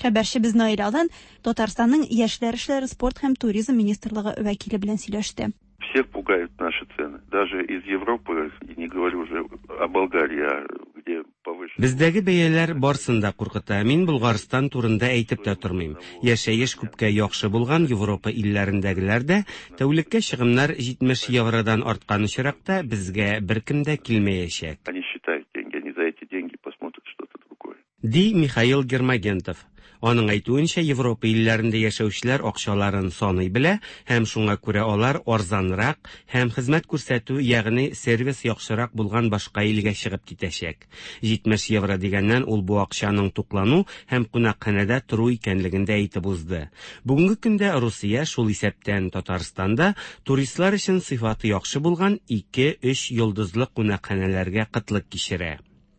Хәбәрчебез Наил Алан Татарстанның Яшьләр эшләре, спорт һәм туризм министрлыгы вәкиле белән сөйләште.
Всех пугают наши цены. Даже из Европы, и не говорю уже о Болгарии, а где повыше.
Бездәге бәяләр барсын да куркыта. Мин Болгарстан турында әйтеп тә тормыйм. Яшәеш күпкә яхшы булган Европа илләрендәгеләр дә, тәүлеккә чыгымнар 70 евродан арткан очракта, безгә беркем дә килмәячәк.
Они считают деньги, они за эти деньги посмотрят что-то другое.
Ди Михаил Гермогентов. Аның әйтүенчә, Европа илләрендә яшәүчеләр акчаларын саный белә һәм шуңа күрә алар арзанрак һәм хезмәт күрсәтү, ягъни сервис яхшырак булган башка илгә чыгып китәчәк. 70 евро дигәннән ул бу акчаның туклану һәм кунакханәдә тору икәнлеген дә әйтеп узды. Бүгенге көндә Русия, шул исәптән Татарстан да, туристлар өчен сыйфаты яхшы булган ике-өч йолдызлы кунакханәләргә кытлык кичерә.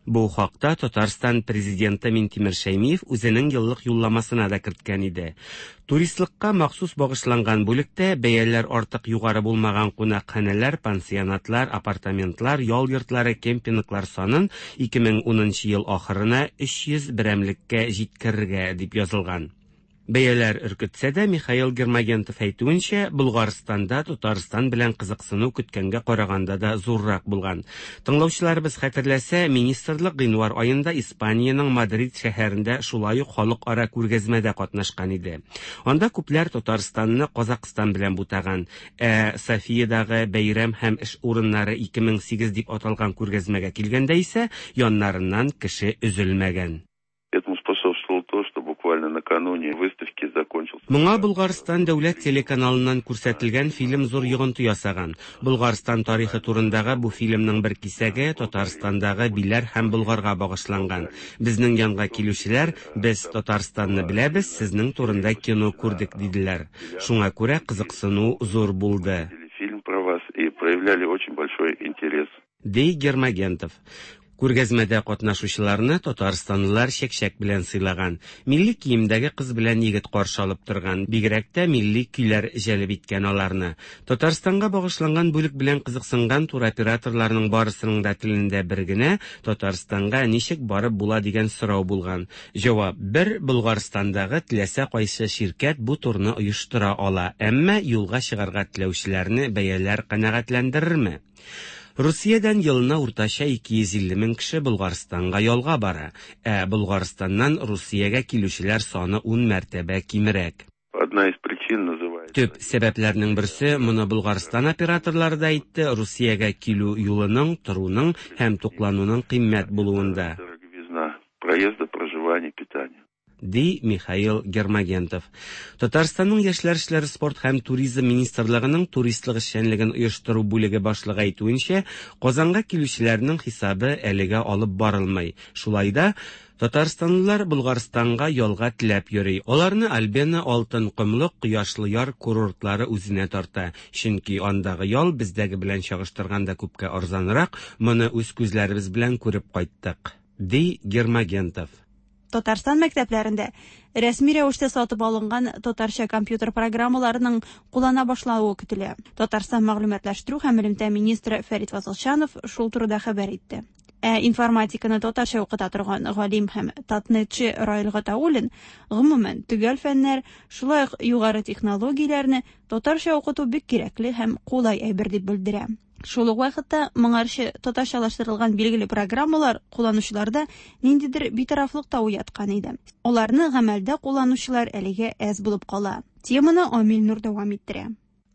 Бу хакта Татарстан Президенты Минтимер Шәймиев үзенең еллык юлламасына да керткән иде. Туристлыкка махсус багышланган бүлектә бәяләр артык югары булмаган кунакханәләр, пансионатлар, апартаментлар, ял йортлары, кемпинглар санын 2010 нчы ел ахырына 300 берәмлеккә җиткерергә дип язылган. Бәяләр өркетсә дә, Михаил Гермогентов әйтүенчә, Болгарстанда Татарстан белән кызыксыну көткәнгә караганда да зуррак булган. Тыңлаучыларыбыз хәтерләсә, министрлык гыйнвар аенда Испаниянең Мадрид шәһәрендә шулай ук халыкара күргәзмәдә катнашкан иде. Анда күпләр Татарстанны Казакъстан белән бутаган. Ә Софиядагы Бәйрәм һәм эш урыннары 2008 дип аталган күргәзмәгә килгәндә исә, яннарыннан кеше өзелмәгән.
Этому способствовало то, что буквально накануне выставки закончился.
Моңа Болгарстан дәүләт телеканалыннан күрсәтелгән фильм зур йогынты ясаган. Болгарстан тарихы турындагы бу фильмның бер кисәге Татарстандагы Биләр һәм Болгарга багышланган. Безнең янга килүчеләр, Без Татарстанны беләбез, сезнең турында кино күрдек, диделәр. Шуңа күрә кызыксыну зур булды.
Фильм про вас и проявляли очень большой интерес.
Ди Гермогентов. Күргәзмәдә катнашучыларны татарстанлылар чәкчәк белән сыйлаган. Милли киемдәге кыз белән егет каршы алып торган. Бигрәк тә милли көйләр җәлеп иткән аларны. Татарстанга багышланган бүлек белән кызыксынган туроператорларның барысының да телендә бер генә, Татарстанга ничек барып була дигән сорау булган. Җавап бер, Болгарстандагы теләсә кайсы ширкәт бу турны оештыра ала, әмма юлга чыгарга теләүчеләрне бәяләр канәгатьләндерерме? Русиядән елына уртача 250 мең кеше Болгарстанга ялга бара, ә Болгарстаннан Русиягә килүчеләр саны ун мәртәбә кимрәк.
Одна из причин называется.
Төп сәбәпләрнең берсе, моны Болгарстан операторлары да әйтте, Русиягә килү юлының, торуның һәм туклануның кыйммәт булуында.
Дороговизна проезда, проживания, питания.
Ди Михаил Гермогентов. Татарстанның Яшьләр эшләре, спорт һәм туризм министрлыгының туристлык эшчәнлеген оештыру бүлеге башлыгы әйтүенчә, Казанга килүчеләрнең хисабы әлегә алып барылмый. Шулай да, татарстанлылар Болгарстанга ялга теләп йөри. Аларны Альбена, Алтын комлык, Кояшлы яр курортлары үзенә тарта. Чөнки андагы ял бездәге белән чагыштырганда күпкә арзанрак, моны үз күзләребез белән күреп кайттык, ди Гермогентов.
Татарстан мәктәпләрендә рәсми рәвештә сатып алынган татарча компьютер программаларының куллана башлавы көтелә. Татарстан мәгълүматлаштыру һәм элемтә министры Фәрит Фазылчанов шул турыда хәбәр итте. Ә информатиканы татарча укыта торган галим һәм татнетчы Раил Гатауллин, гомумән, төгәл фәннәр, шулай ук югары технологияләрне татарча укыту бик кирәкле һәм кулай әйбер дип белдерә. Шул ук вакытта моңарчы татарчалаштырылган билгеле программалар кулланучыларда ниндидер битарафлык та уяткан иде. Аларны гамәлдә кулланучылар әлегә әз булып кала. Теманы Амил Нур дәвам иттерә.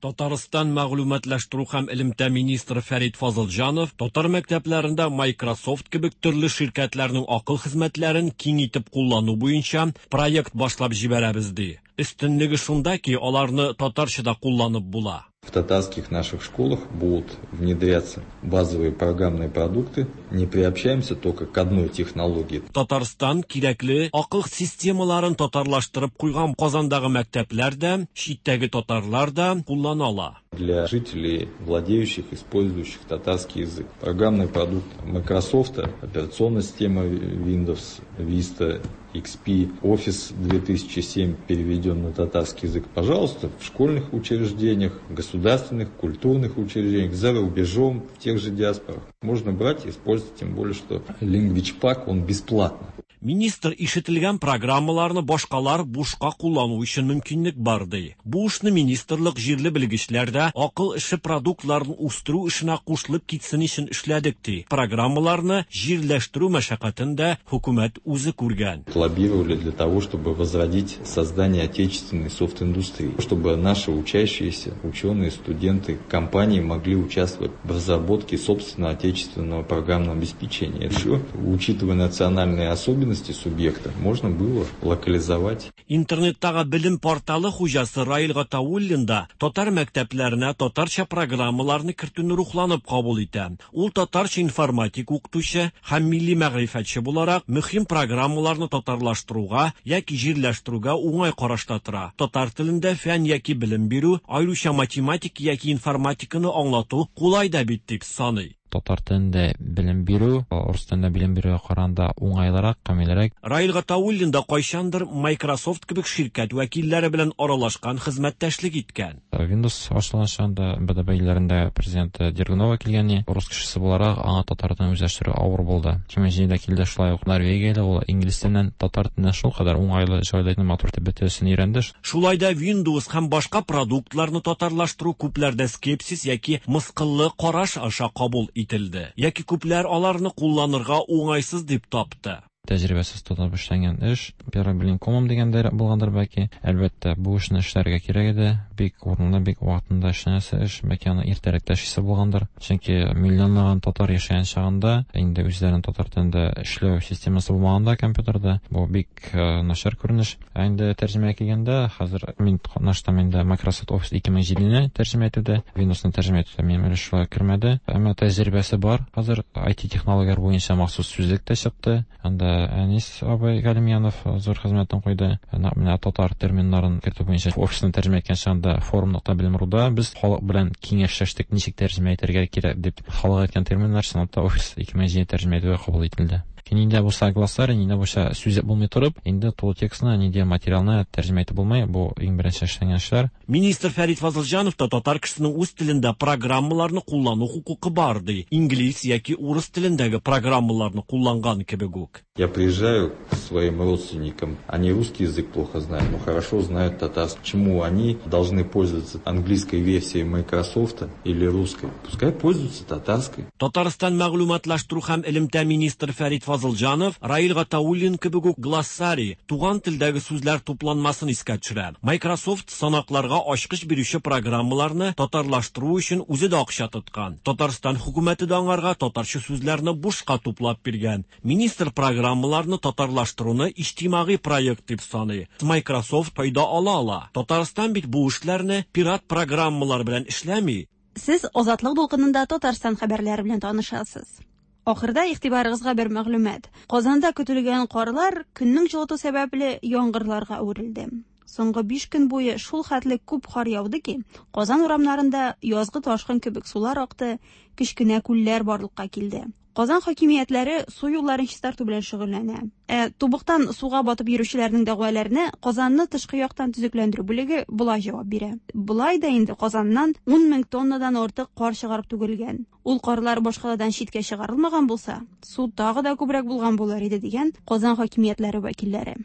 Татарстан мәгълүматлаштыру һәм элемтә министры Фәрит Фазылҗанов татар мәктәпләрендә Microsoft кебек төрле ширкәтләрнең акыл хезмәтләрен киң итеп куллану буенча проект башлап җибәрәбез ди. Өстенлеге шунда ки, аларны татарча да кулланып була.
В татарских наших школах будут внедряться базовые программные продукты. Не приобщаемся только к одной технологии.
Татарстан кирәкле акыл системаларын татарлаштырып куйган Казандагы мәктәпләр дә, читтәге татарлар да куллана ала.
Для жителей, владеющих, использующих татарский язык. Программный продукт Microsoft, операционная система Windows, Vista, XP, Office 2007 переведен на татарский язык. Пожалуйста, в школьных учреждениях, государственных, культурных учреждениях, за рубежом, в тех же диаспорах. Можно брать и использовать, тем более, что Language Pack, он бесплатно.
Министр ишетелгән программаларны башкалар бушка куллану өчен мөмкинлек бар ди. Бу эшне министрлык җирле белгечләр дә акыл эше продуктларын үстерү эшенә кушылып китсен өчен эшләдек ди. Программаларны җирләштерү мәшәкатен дә хөкүмәт үзе күргән.
Лоббировали для того, чтобы возродить создание отечественной софт-индустрии, чтобы наши учащиеся, ученые, студенты, компании могли участвовать в разработке собственного отечественного программного обеспечения. Еще, учитывая национальные особенности субъекта, можно было локализовать.
Интернеттагы белем порталы хуҗасы Раил Гатауллин да татар мәктәпләренә татарча программаларны кертүне рухланып кабул итә. Ул татарча информатик укытучы һәм милли мәгърифәтче буларак мөһим программаларны татарлаштыруга яки җирләштерүгә уңай карашта тора. Татар телендә фән яки белем бирү, аеруча математик яки информатиканы аңлату кулай да бит дип саный.
Татар телендә белем бирү, урыс телендә белем бирүгә караганда уңайлырак, камилрәк.
Раил Гатауллин да кайчандыр Microsoft кебек ширкәт вәкилләре белән аралашкан, хезмәттәшлек иткән.
Windows ачылган чагында БДБ илләрендә президент Дергунова килгән, урыс кешесе буларак аңа татар телен үзләштерү авыр булды. 2007-дә килде шулай ук Норвегияле, ул инглиз теленнән татар теленә шулкадәр уңайлы, җайлы итеп, матур итеп бөтенесен өйрәнде.
Шулай да Windows һәм башка продуктларны татарлаштыру күпләрдә скепсис яки мыскыллы караш аша кабул ителде. Яки күпләр аларны кулланырга уңайсыз дип тапты.
Тәҗрибәсез тотып эшләнгән эш, первый блин комом дигәндә булгандыр бәлки. Әлбәттә, бу эшне эшләргә кирәк иде. Бик урынлы, бик вакытында эшләнәсе эш, бәлки аны иртәрәк тә эшлисе булгандыр. Чөнки миллионлаган татар яшәгән чагында, инде үзләрен татар телендә эшләү системасы булмаганда компьютерда, бу бик начар күренеш. Ә инде тәрҗемәгә килгәндә, хәзер мин катнаштым инде Microsoft Office 2007-не тәрҗемә итүдә, Windows-ны тәрҗемә итүдә минем өлеш шулай кермәде. Әмма тәҗрибәсе бар. Хәзер IT технологияләр буенча махсус сүзлек тә чыкты. Анда Әнис абый Галимьянов зур хезмәтен куйды. Нәкъ менә татар терминнарын кертү буенча офисны тәрҗемә иткән чагында forum.bilim.ruda без халык белән киңәшләштек, ничек тәрҗемә итәргә кирәк дип. Халык әйткән терминнар чынлап та Office 2007 тәрҗемә итүгә кабул ителде. Нинди булса глоссарий, нинди булса сүз булмый торып, инде тулы текстны, нинди материалны тәрҗемә итеп булмый, бу иң беренче эшләнгән эшләр.
Министр Фәрит Фазылҗанов та татар кешесенең үз телендә программаларны куллану хокукы бар ди. Инглиз яки урыс телендәге программаларны кулланган кебек үк.
Я приезжаю к своим родственникам, они русский язык плохо знают, но хорошо знают татарский. Почему они должны пользоваться английской версией Microsoft или русской? Пускай пользуются татарской.
Татарстан мәгълүматлаштыру һәм элемтә министры Фәрит Фазылҗанов Раил Гатауллин кебек үк глоссарий, туган телдәге сүзләр тупланмасын искә төшерә. Microsoft санакларга ачкыч бирүче программаларны татарлаштыру өчен үзе дә акча тоткан. Татарстан хөкүмәте дә аңарга татарча сүзләрне бушка туплап биргән. Министр программаларны татарлаштыруны иҗтимагый проект дип саный. Microsoft файда ала ала. Татарстан бит бу эшләрне пират программалар белән эшләми.
Сез Азатлык дулкынында Татарстан хәбәрләре белән танышасыз. Ахырда игътибарыгызга бер мәгълүмат. Казанда көтелгән карлар көннең җылыту сәбәпле яңгырларга әверелде. Соңгы 5 көн буе шул хәтле күп кар яуды ки, Казан урамнарында язгы ташкын кебек сулар акты, кечкенә күлләр барлыкка килде. Казан хакимиятләре су юлларын чистарту белән шөгыльләнә. Ә тубыктан суга батып йөрүчеләрнең дәгъваларына Казанны тышкы яктан төзекләндерү бүлеге болай җавап бирә. Болай да инде Казаннан 10 мең тоннадан артык кар чыгарып түгелгән. Ул карлар башкаладан читкә чыгарылмаган булса, су тагы да күбрәк булган булыр иде дигән Казан хакимиятләре вәкилләре.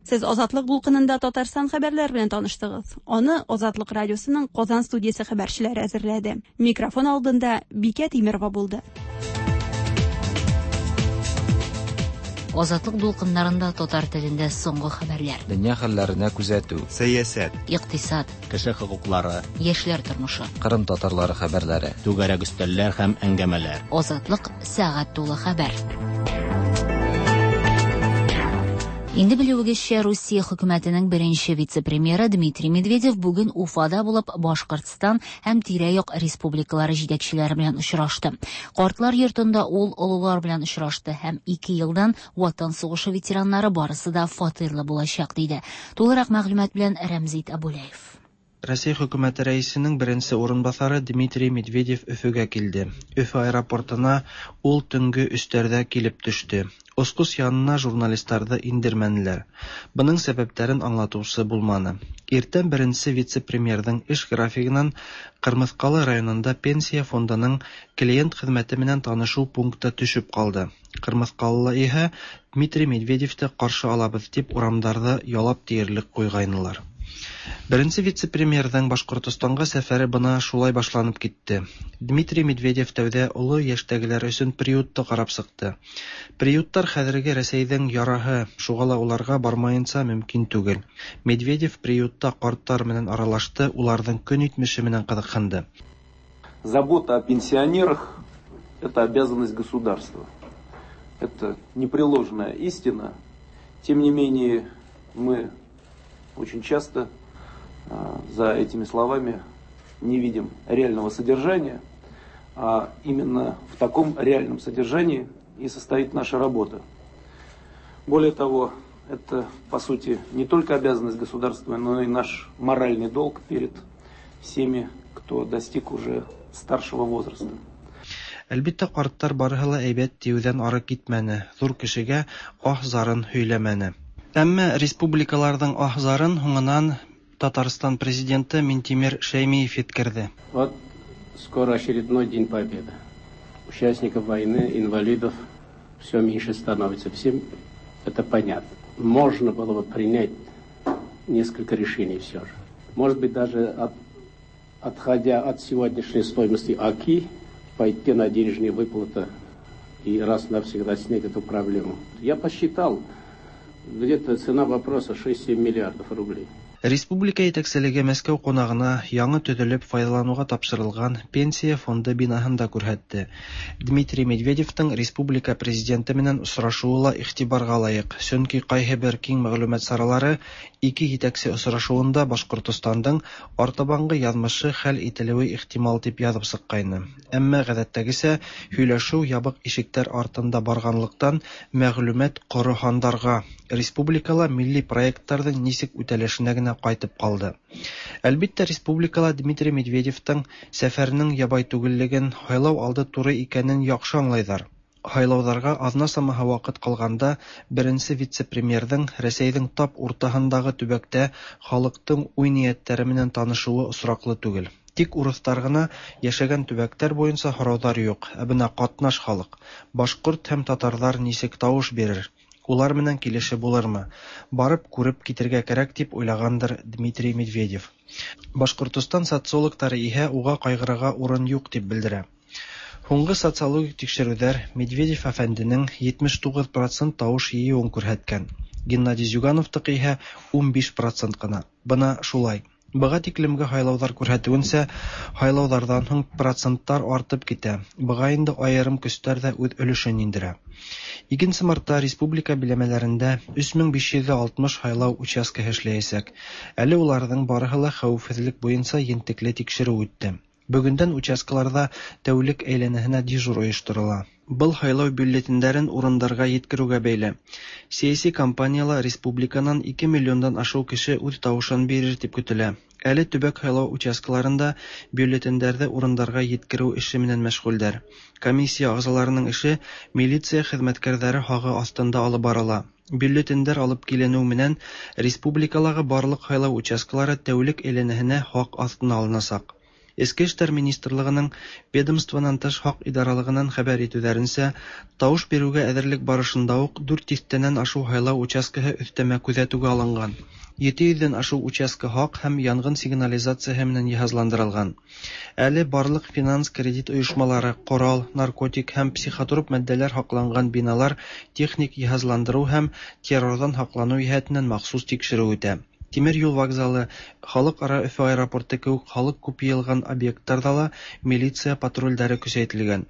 Сез Азатлык дулкынында Татарстан хәбәрләре белән таныштыгыз. Аны Азатлык радиосының Казан студиясе хәбәрчеләре әзерләде. Микрофон алдында Бикә Тимерова булды.
Азатлык дулкыннарында татар телендә соңгы хәбәрләр.
Дөнья хәлләренә күзәтү.
Сәясәт.
Икътисад.
Кеше хокуклары.
Яшьләр тормышы.
Кырым татарлары хәбәрләре.
Түгәрәк өстәлләр һәм әңгәмәләр.
Азатлык сәгать тулы хәбәр. Инде белүегезчә, Русия хөкүмәтенең беренче вице-премьеры Дмитрий Медведев бүген Уфада булып, Башкортстан һәм тирә-як республикалары җитәкчеләре белән очрашты. Картлар йортында ул олылар белән очрашты һәм ике елдан Ватан сугышы ветераннары барысы да фатирлы булачак, диде. Тулырак мәгълүмат белән Рәмзит Абулаев.
Россия хөкүмәте рәисенең беренче урынбасары Дмитрий Медведев Өфөгә килде. Өфе аэропортына ул төнге өчләрдә килеп төште. Очкыч янына журналистларны индермәнеләр. Моның сәбәпләрен аңлатучы булмады. Иртән беренче вице-премьерның эш графигыннан Кырмыскалы районында пенсия фондының клиент хезмәте белән танышу пункты төшеп калды. Кырмыскалылар иһә Дмитрий Медведевты каршы алабыз дип урамнарда ялап диярлек куйгайнылар. Беренче вице-премьерның Башкортостанга сәфәре бына шулай башланып китте. Дмитрий Медведев тәүдә олы яшьтәгеләр өчен приютты карап чыкты. Приюттар хәзерге Рәсәйнең яраһы, шуңа ла уларга бармаенча мөмкин түгел. Медведев приютта картлар белән аралашты, уларның көн итмеше белән кызыксынды.
Забота о пенсионерах – это обязанность государства. Это непреложная истина. Тем не менее, мы очень часто за этими словами не видим реального содержания, а именно в таком реальном содержании и состоит наша работа. Более того, это, по сути, не только обязанность государства, но и наш моральный долг перед всеми, кто достиг уже старшего возраста.
Әлбиттә, картлар барыһы ла әйбәт диюдән ары китмәне, зур кешегә аһ-зарын һөйләмәне. Әмма республикаларның аһ-зарын һуңынан Татарстан президенты Минтимер Шәймиев еткерде.
Вот скоро очередной День Победы. Участников войны, инвалидов все меньше становится. Всем это понятно. Можно было бы принять несколько решений все же. Может быть, даже отходя от сегодняшней стоимости ОКИ, пойти на денежные выплаты и раз навсегда снять эту проблему. Я посчитал, где-то цена вопроса 6-7 миллиардов рублей.
Республика җитәкчелеге Мәскәү кунагына яңа төзелеп файдалануга тапшырылган пенсия фонды бинаһын да күрһәтте. Дмитрий Медведевның республика президенты белән очрашуы ла игътибарга лаек, чөнки кайһы бер киң мәгълүмат чаралары ике җитәкче очрашуында Башкортостанның артабангы язмышы хәл ителүе ихтимал дип язып чыккайны. Әмма гадәттәгечә һөйләшү ябык ишекләр артында барганлыктан мәгълүмат коры һандарга, республикала милли проектларның ничек үтәлешенә генә кайтып калды. Әлбиттә, республикала Дмитрий Медведевтың сәфәренең ябай түгеллеген, һайлау алды туры икәнен яхшы аңлайлар. Һайлауҙарға аҙна самаһы ваҡыт ҡалғанда беренсе вице-премьерҙың Рәсәйҙең тап уртаһындағы төбәктә халыҡтың уй-ниәттәре менән танышыуы осраҡлы түгел. Тик урыҫтар ғына йәшәгән төбәктәр буйынса һорауҙар юҡ, ә бына ҡатнаш халыҡ, башҡорт һәм татарҙар нисек тауыш бирер? Улар менән килеше булырмы? Барып күреп китергә кәрәк дип уйлағандыр Дмитрий Медведев. Башҡортостан социологтары иһә уға ҡайғырырға урын юҡ дип белдерә. Һуңғы социологик тикшереүҙәр Медведев әфәнденең 79% тауыш йыйыуын күрһәткән. Геннадий Зюгановтыҡы иһә 15% ҡына. Бына шулай. Быға тиклемге һайлауҙар күрһәтеүенсә, һайлауҙарҙан һуң проценттар артып китә. Быға инде айырым көстәр ҙә үҙ өлөшөн индерә. 2 мартта республика биләмәләрендә 3560 һайлау участкаһы эшләйәсәк. Әле уларҙың барыһы ла хәүефһеҙлек буйынса ентекле тикшереү үтте. Бөгөндән участкаларҙа тәүлек әйләнәһенә дежур ойошторола. Был һайлау бюллетендәрен урындарға еткереүгә бәйле. Сәйәси кампанияла республиканан 2 миллиондан ашыу кеше үҙ тауышын бирер тип көтөлә. Әле төбәк һайлау участкаларында бюллетендәрҙе урындарға еткереү эше менән мәшғүлдәр. Комиссия ағзаларының эше милиция хеҙмәткәрҙәре һағы аҫтында алып барыла. Бюллетендәр алып киленеү менән республикалағы барлыҡ һайлау участкалары тәүлек әйләнәһенә һаҡ аҫтына алынасаҡ. Эчке эшләр министрлыгының ведомствонан тыш хак идаралыгыннан хәбәр итүләренчә, тавыш бирүгә әзерлек барышында ук дүрт дистәннән ашу һайлау участкаһы өстәмә күзәтүгә алынган. 700 дән ашу участка һак һәм янгын сигнализацияһе менән җиһазландырылган. Әле барлык финанс-кредит оешмалары, корал, наркотик һәм психотроп матдәләр һакланган биналар техник җиһазландыру һәм террордан һаклану җәһәтеннән махсус тикшерү үтә. Тимер юл вокзалы, Халыкара Өфе аэропорты кебек халык күп йыелган объектларда ла милиция патрульләре көчәйтелгән.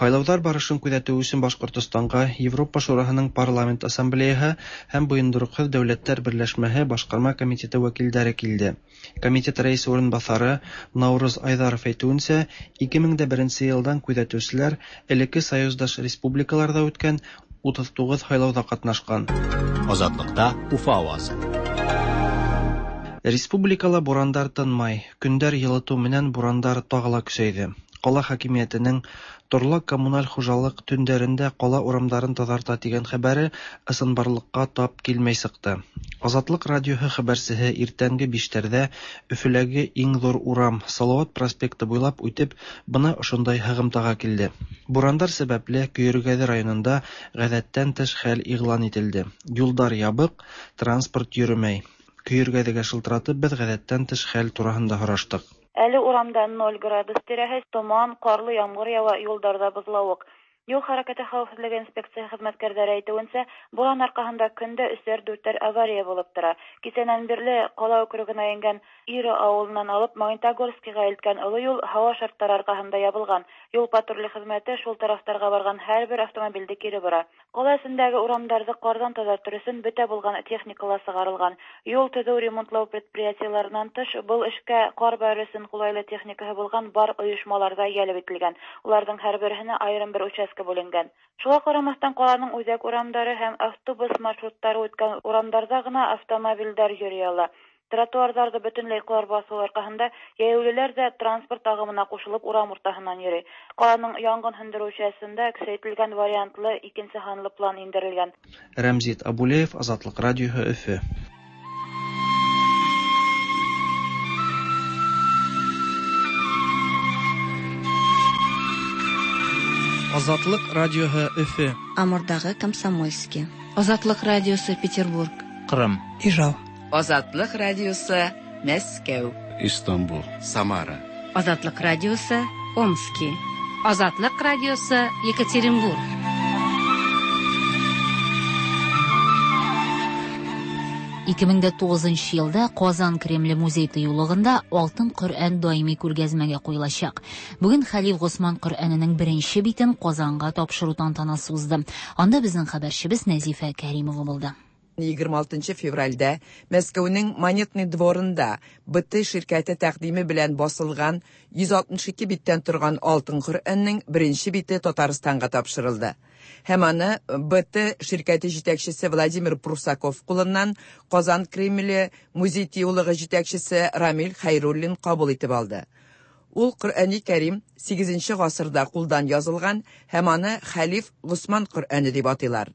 Һайлаулар барышын күзәтү өчен Башкортостанга Европа Шураһының Парламент Ассамблеяһы һәм Боендырыксыз дәүләтләр берләшмәһе Башкарма комитеты вәкилләре килде. Комитет рәисе урынбасары Наурыз Айдаров әйтүенчә, 2001 елдан күзәтүчеләр элекке союздаш республикаларда үткән 39 һайлауда катнашкан.
Азатлыкта Уфа авазы.
Республикала бурандар тынмай, көндәр елыту менән бурандар тагы ла көсәйде. Кала хакимиятенең Торлак-коммуналь хуҗалык төндәрендә кала урамдарын тазарта дигән хәбәре ысынбарлыкка тап килмәй чыкты. Азатлык радиоһы хәбәрчеһе иртәнге биштәрдә Өфөләге иң зур урам, Салават проспекты буйлап үтеп, бына ошондай һыгымтага килде. Бурандар сәбәпле Көергәде районында гадәттән тыш хәл игълан ителде. Юлдар ябык, транспорт йөремәй. Көергәдегә шылтыратып без гадәттән тыш хәл тураһында һораштык.
Әле урамда ноль градус тирәһе, томан, карлы яңгыр ява, юлдарда бозлавык. Юл хәрәкәте хәвефсезлеге инспекция хезмәткәрләре әйтүенчә, буран аркаһында көн дә өчәр-дүртәр авария булып тора. Кичәнән бирле кала округына иңгән Ира авылыннан алып Магнитогорскига илткән олы юл һава шартлары аркаһында ябылган. Юл патруле хезмәте шул тарафтарга барган һәрбер автомобильде кире бора. Кала эчендәге урамдарды кардан тазартыр өчен бөтә булган техника ла чыгарылган. Юл төзү-ремонтлау предприятиеләреннән тыш, был эшкә кар бәрер өчен кулайлы техникаһы булган бар оешмалар да җәлеп ителгән. Уларның һәрберһенә аерым бер участка бүленгән. Шуңа карамастан, каланың үзәк урамдары һәм автобус маршрутлары үткән урамдарда гына автомобильдәр йөри ала. Тротуарларда бөтенләй кар басу аркаһында җәяүлеләр дә транспорт агымына кушылып урам уртаһыннан йөри. Каланың янгын һүндерү частенда көчәйтелгән вариантлы икенче һанлы план индерелгән.
Рәмзит Абулеев, Азатлык радиоһы, Өфе. Азатлык радиоһы, Өфе.
Амурдагы Комсомольски. Азатлык радиосы Петербург.
Кырым.
Ижау. Азатлык радиосы Мәскәү.
Истанбул. Самара.
Азатлык радиосы Омски. Азатлык радиосы Екатеринбург.
2009 елда Казан Кремле музей тыюлыгында Алтын Коръән даими күргәзмәгә куелачак. Бүген Хәлиф Госман Коръәненең беренче битен Казанга тапшыру тантанасы узды. Анда безнең хәбәрчебез Нәзифә Кәримова булды.
26 февральдә Мәскәүнең Монетный дворында БТ ширкәте тәкъдиме белән басылган 162 биттән торган Алтын Коръәннең беренче бите Татарстанга тапшырылды. Һәм аны БТ ширкәте җитәкчесе Владимир Прусаков кулыннан Казан Кремле музей тыюлыгы җитәкчесе Рамил Хәйруллин кабул итеп алды. Ул Коръәни Кәрим 8 гасырда кулдан язылган һәм аны Хәлиф Госман Коръәне дип атыйлар.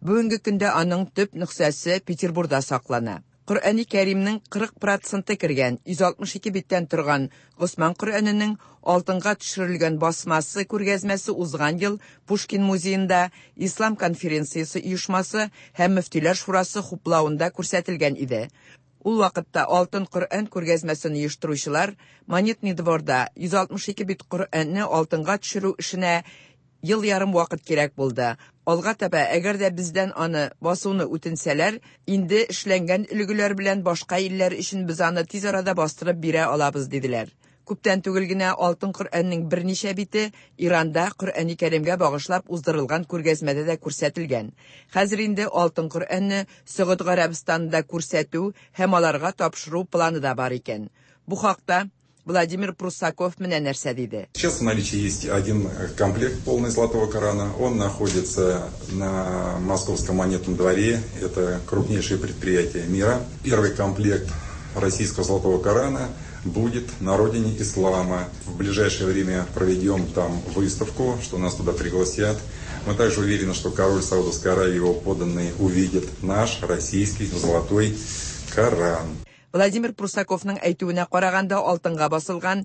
Бүгенге көндә аның төп нөхсәсе Петербурда саклана. Коръәни Кәримнең 40 проценты кергән 162 биттән торган Госман Коръәненең алтынга төшерелгән басмасы күргәзмәсе узган ел Пушкин музеенда Ислам конференциясе оешмасы һәм Мөфтиләр шурасы хуплавында күрсәтелгән иде. Ул вакытта Алтын Коръән күргәзмәсен оештыручылар Монетный дворда 162 бит Коръәнне алтынга төшерү эшенә ел ярым вакыт кирәк булды. Алга таба, әгәр дә бездән аны басуны үтенсәләр, инде эшләнгән өлгеләр белән башка илләр өчен без аны тиз арада бастырып бирә алабыз, диделәр. Күптән түгел генә Алтын Коръәннең берничә бите Иранда Коръәни Кәримгә багышлап уздырылган күргәзмәдә дә күрсәтелгән. Хәзер инде Алтын Коръәнне Сөгуд Гарәбстанында күрсәтү һәм аларга тапшыру планы да бар икән. Бу хакта Владимир Прусаков менә нәрсә диде.
Сейчас в наличии есть один комплект полный Золотого Корана. Он находится на Московском монетном дворе. Это крупнейшее предприятие мира. Первый комплект российского Золотого Корана будет на родине ислама. В ближайшее время проведем там выставку, что нас туда пригласят. Мы также уверены, что король Саудовской Аравии и его подданные увидят наш российский Золотой Коран.
Владимир Прусаковның әйтүенә караганда, алтынга басылган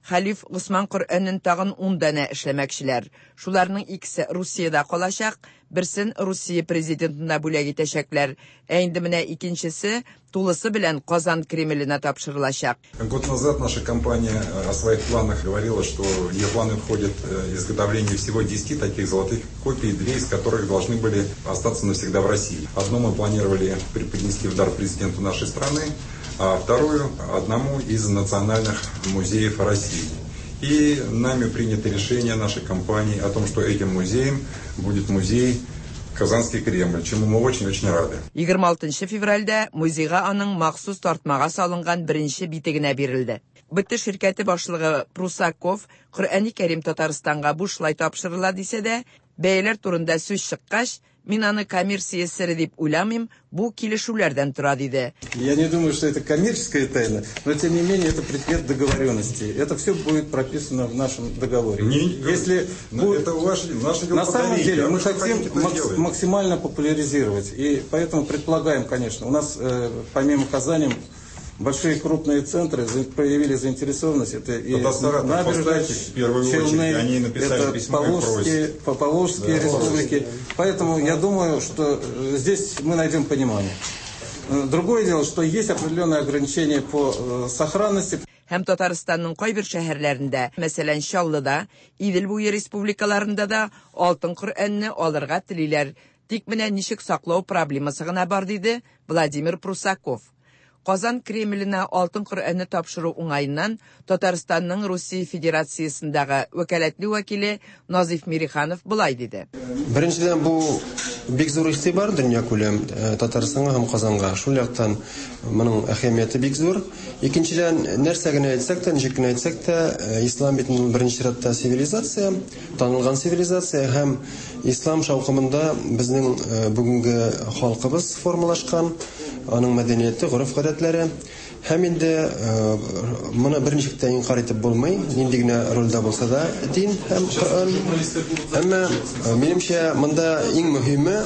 Хәлиф Госман Коръәнен тагын 10 данә эшләмәкчеләр. Шуларның икесе Русиядә калачак, берсен Русия президентына бүләк итәчәкләр. Ә инде менә икенчесе тулысы белән Казан Кремленә тапшырылачак.
Год назад наша компания о своих планах говорила, что в ее планы входит изготовление всего 10 таких золотых копий, две из которых должны были остаться навсегда в России. Одну мы планировали преподнести в дар президенту нашей страны, а вторую одному из национальных музеев России. И нами принято решение нашей компании о том, что этим музеем будет музей Казанский Кремль, чему мы очень-очень рады.
26 февральдә музейга аның махсус тартмага салынган беренче бите генә бирелде. БТ ширкәте башлыгы Прусаков Коръәни Кәрим Татарстанга бушлай тапшырыла дисә дә, бәяләр турында сүз чыккач, мин аны коммерция сере дип уйламыйм, бу килешүләрдән тора диде.
Я не думаю, что это коммерческая тайна, но тем не менее это предмет договоренности. Это все будет прописано в нашем договоре.
Не,
Если
но это ваше, наше дело
На самом
подарить,
деле
а
мы
вы что
хотим
хотите, то сделаете.
максимально популяризировать. И поэтому предполагаем, конечно, у нас помимо Казани большие крупные центры проявили заинтересованность. Это и
Татарстан,
набережные
поставьте в первую
Челны,
очередь, они написали
это
письмо и просят.
Поволжские
Да.
республики. Поэтому я думаю, что здесь мы найдем понимание. Другое дело, что есть определенные ограничения по сохранности.
Һәм Татарстанның кайбер шәһәрләрендә, мәсәлән, Чаллыда, Идел буе республикаларында да алтын Коръәнне алырга телиләр. Тик менә ничек саклау проблемасы гына бар, диде Владимир Прусаков. Казан Кремленә алтын Коръәнне тапшыру уңаеннан Татарстанның Русия Федерациясендәге вәкаләтле вәкиле Назиф Мириханов болай диде.
Беренчедән, бу бик зур игътибар дөнья күләм Татарстанга һәм Казанга. Шул яктан моның әһәмияте бик зур. Икенчедән, нәрсә генә әйтсәк тә, ничек кенә әйтсәк тә, ислам бит ул беренче чиратта цивилизация, танылган цивилизация һәм ислам шаукымында безнең бүгенге халкыбыз формалашкан, аның мәдәнияте, гореф-гадәтләре. Һәм инде моны берничек тә инкар итеп булмый, нинди генә рольдә булса да дин һәм Коръән. Әмма минемчә монда иң мөһиме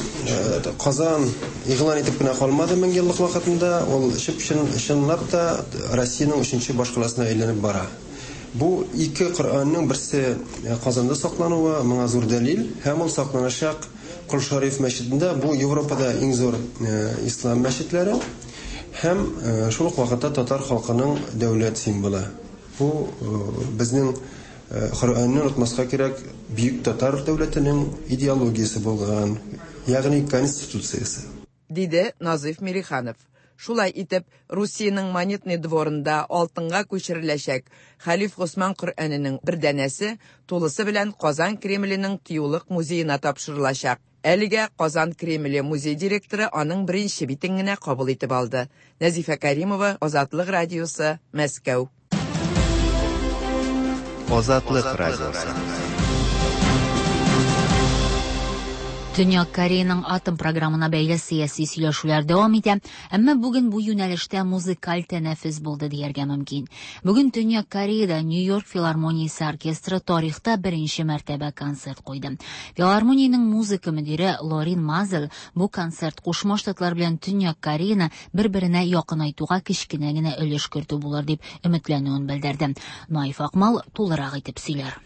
Казан игълан итеп кенә калмады мең еллык вакытында, ул чынлап та Россиянең өченче башкаласына әйләнеп бара. Бу ике Коръәннең берсе Казанда саклануы моңа зур дәлил, һәм ул сакланачак Кол Шариф мәчетендә, бу Европада иң зур ислам мәчетләре. Һәм шул ук вакытта татар халкының дәүләт символы. Бу безнең Коръәнне онытмаска кирәк, бөек татар дәүләтенең идеологиясе булган, ягъни конституциясе.
Диде Назиф Мириханов. Шулай итеп, Русиянең Монетный дворында алтынга күчереләчәк Хәлиф Госман Коръәненең бер данәсе тулысы белән Казан Кремленең тыюлык музеена тапшырылачак. Әлегә Казан Кремле музей директоры аның беренче битен генә кабул итеп алды. Нәзифә Каримова, Азатлык радиосы, Мәскәү.
Азатлык радиосы.
Төньяк Кореяның атом програмына бәйле сәяси сөйләшүләр дәвам итә, әмма бүген бу юнәлештә музыкаль тәнәфес булды дияргә мөмкин. Бүген Төньяк Кореяда Нью-Йорк филармониясе оркестры тарихта беренче мәртәбә концерт куйды. Филармониянең музыка мөдире Лорин Мазел бу концерт Кушма Штатлар белән Төньяк Кореяны бер-беренә якынайтуга кечкенә генә өлеш кертү булыр дип өметләнүен белдерде. Наиф Акмал тулырак итеп сөйләр.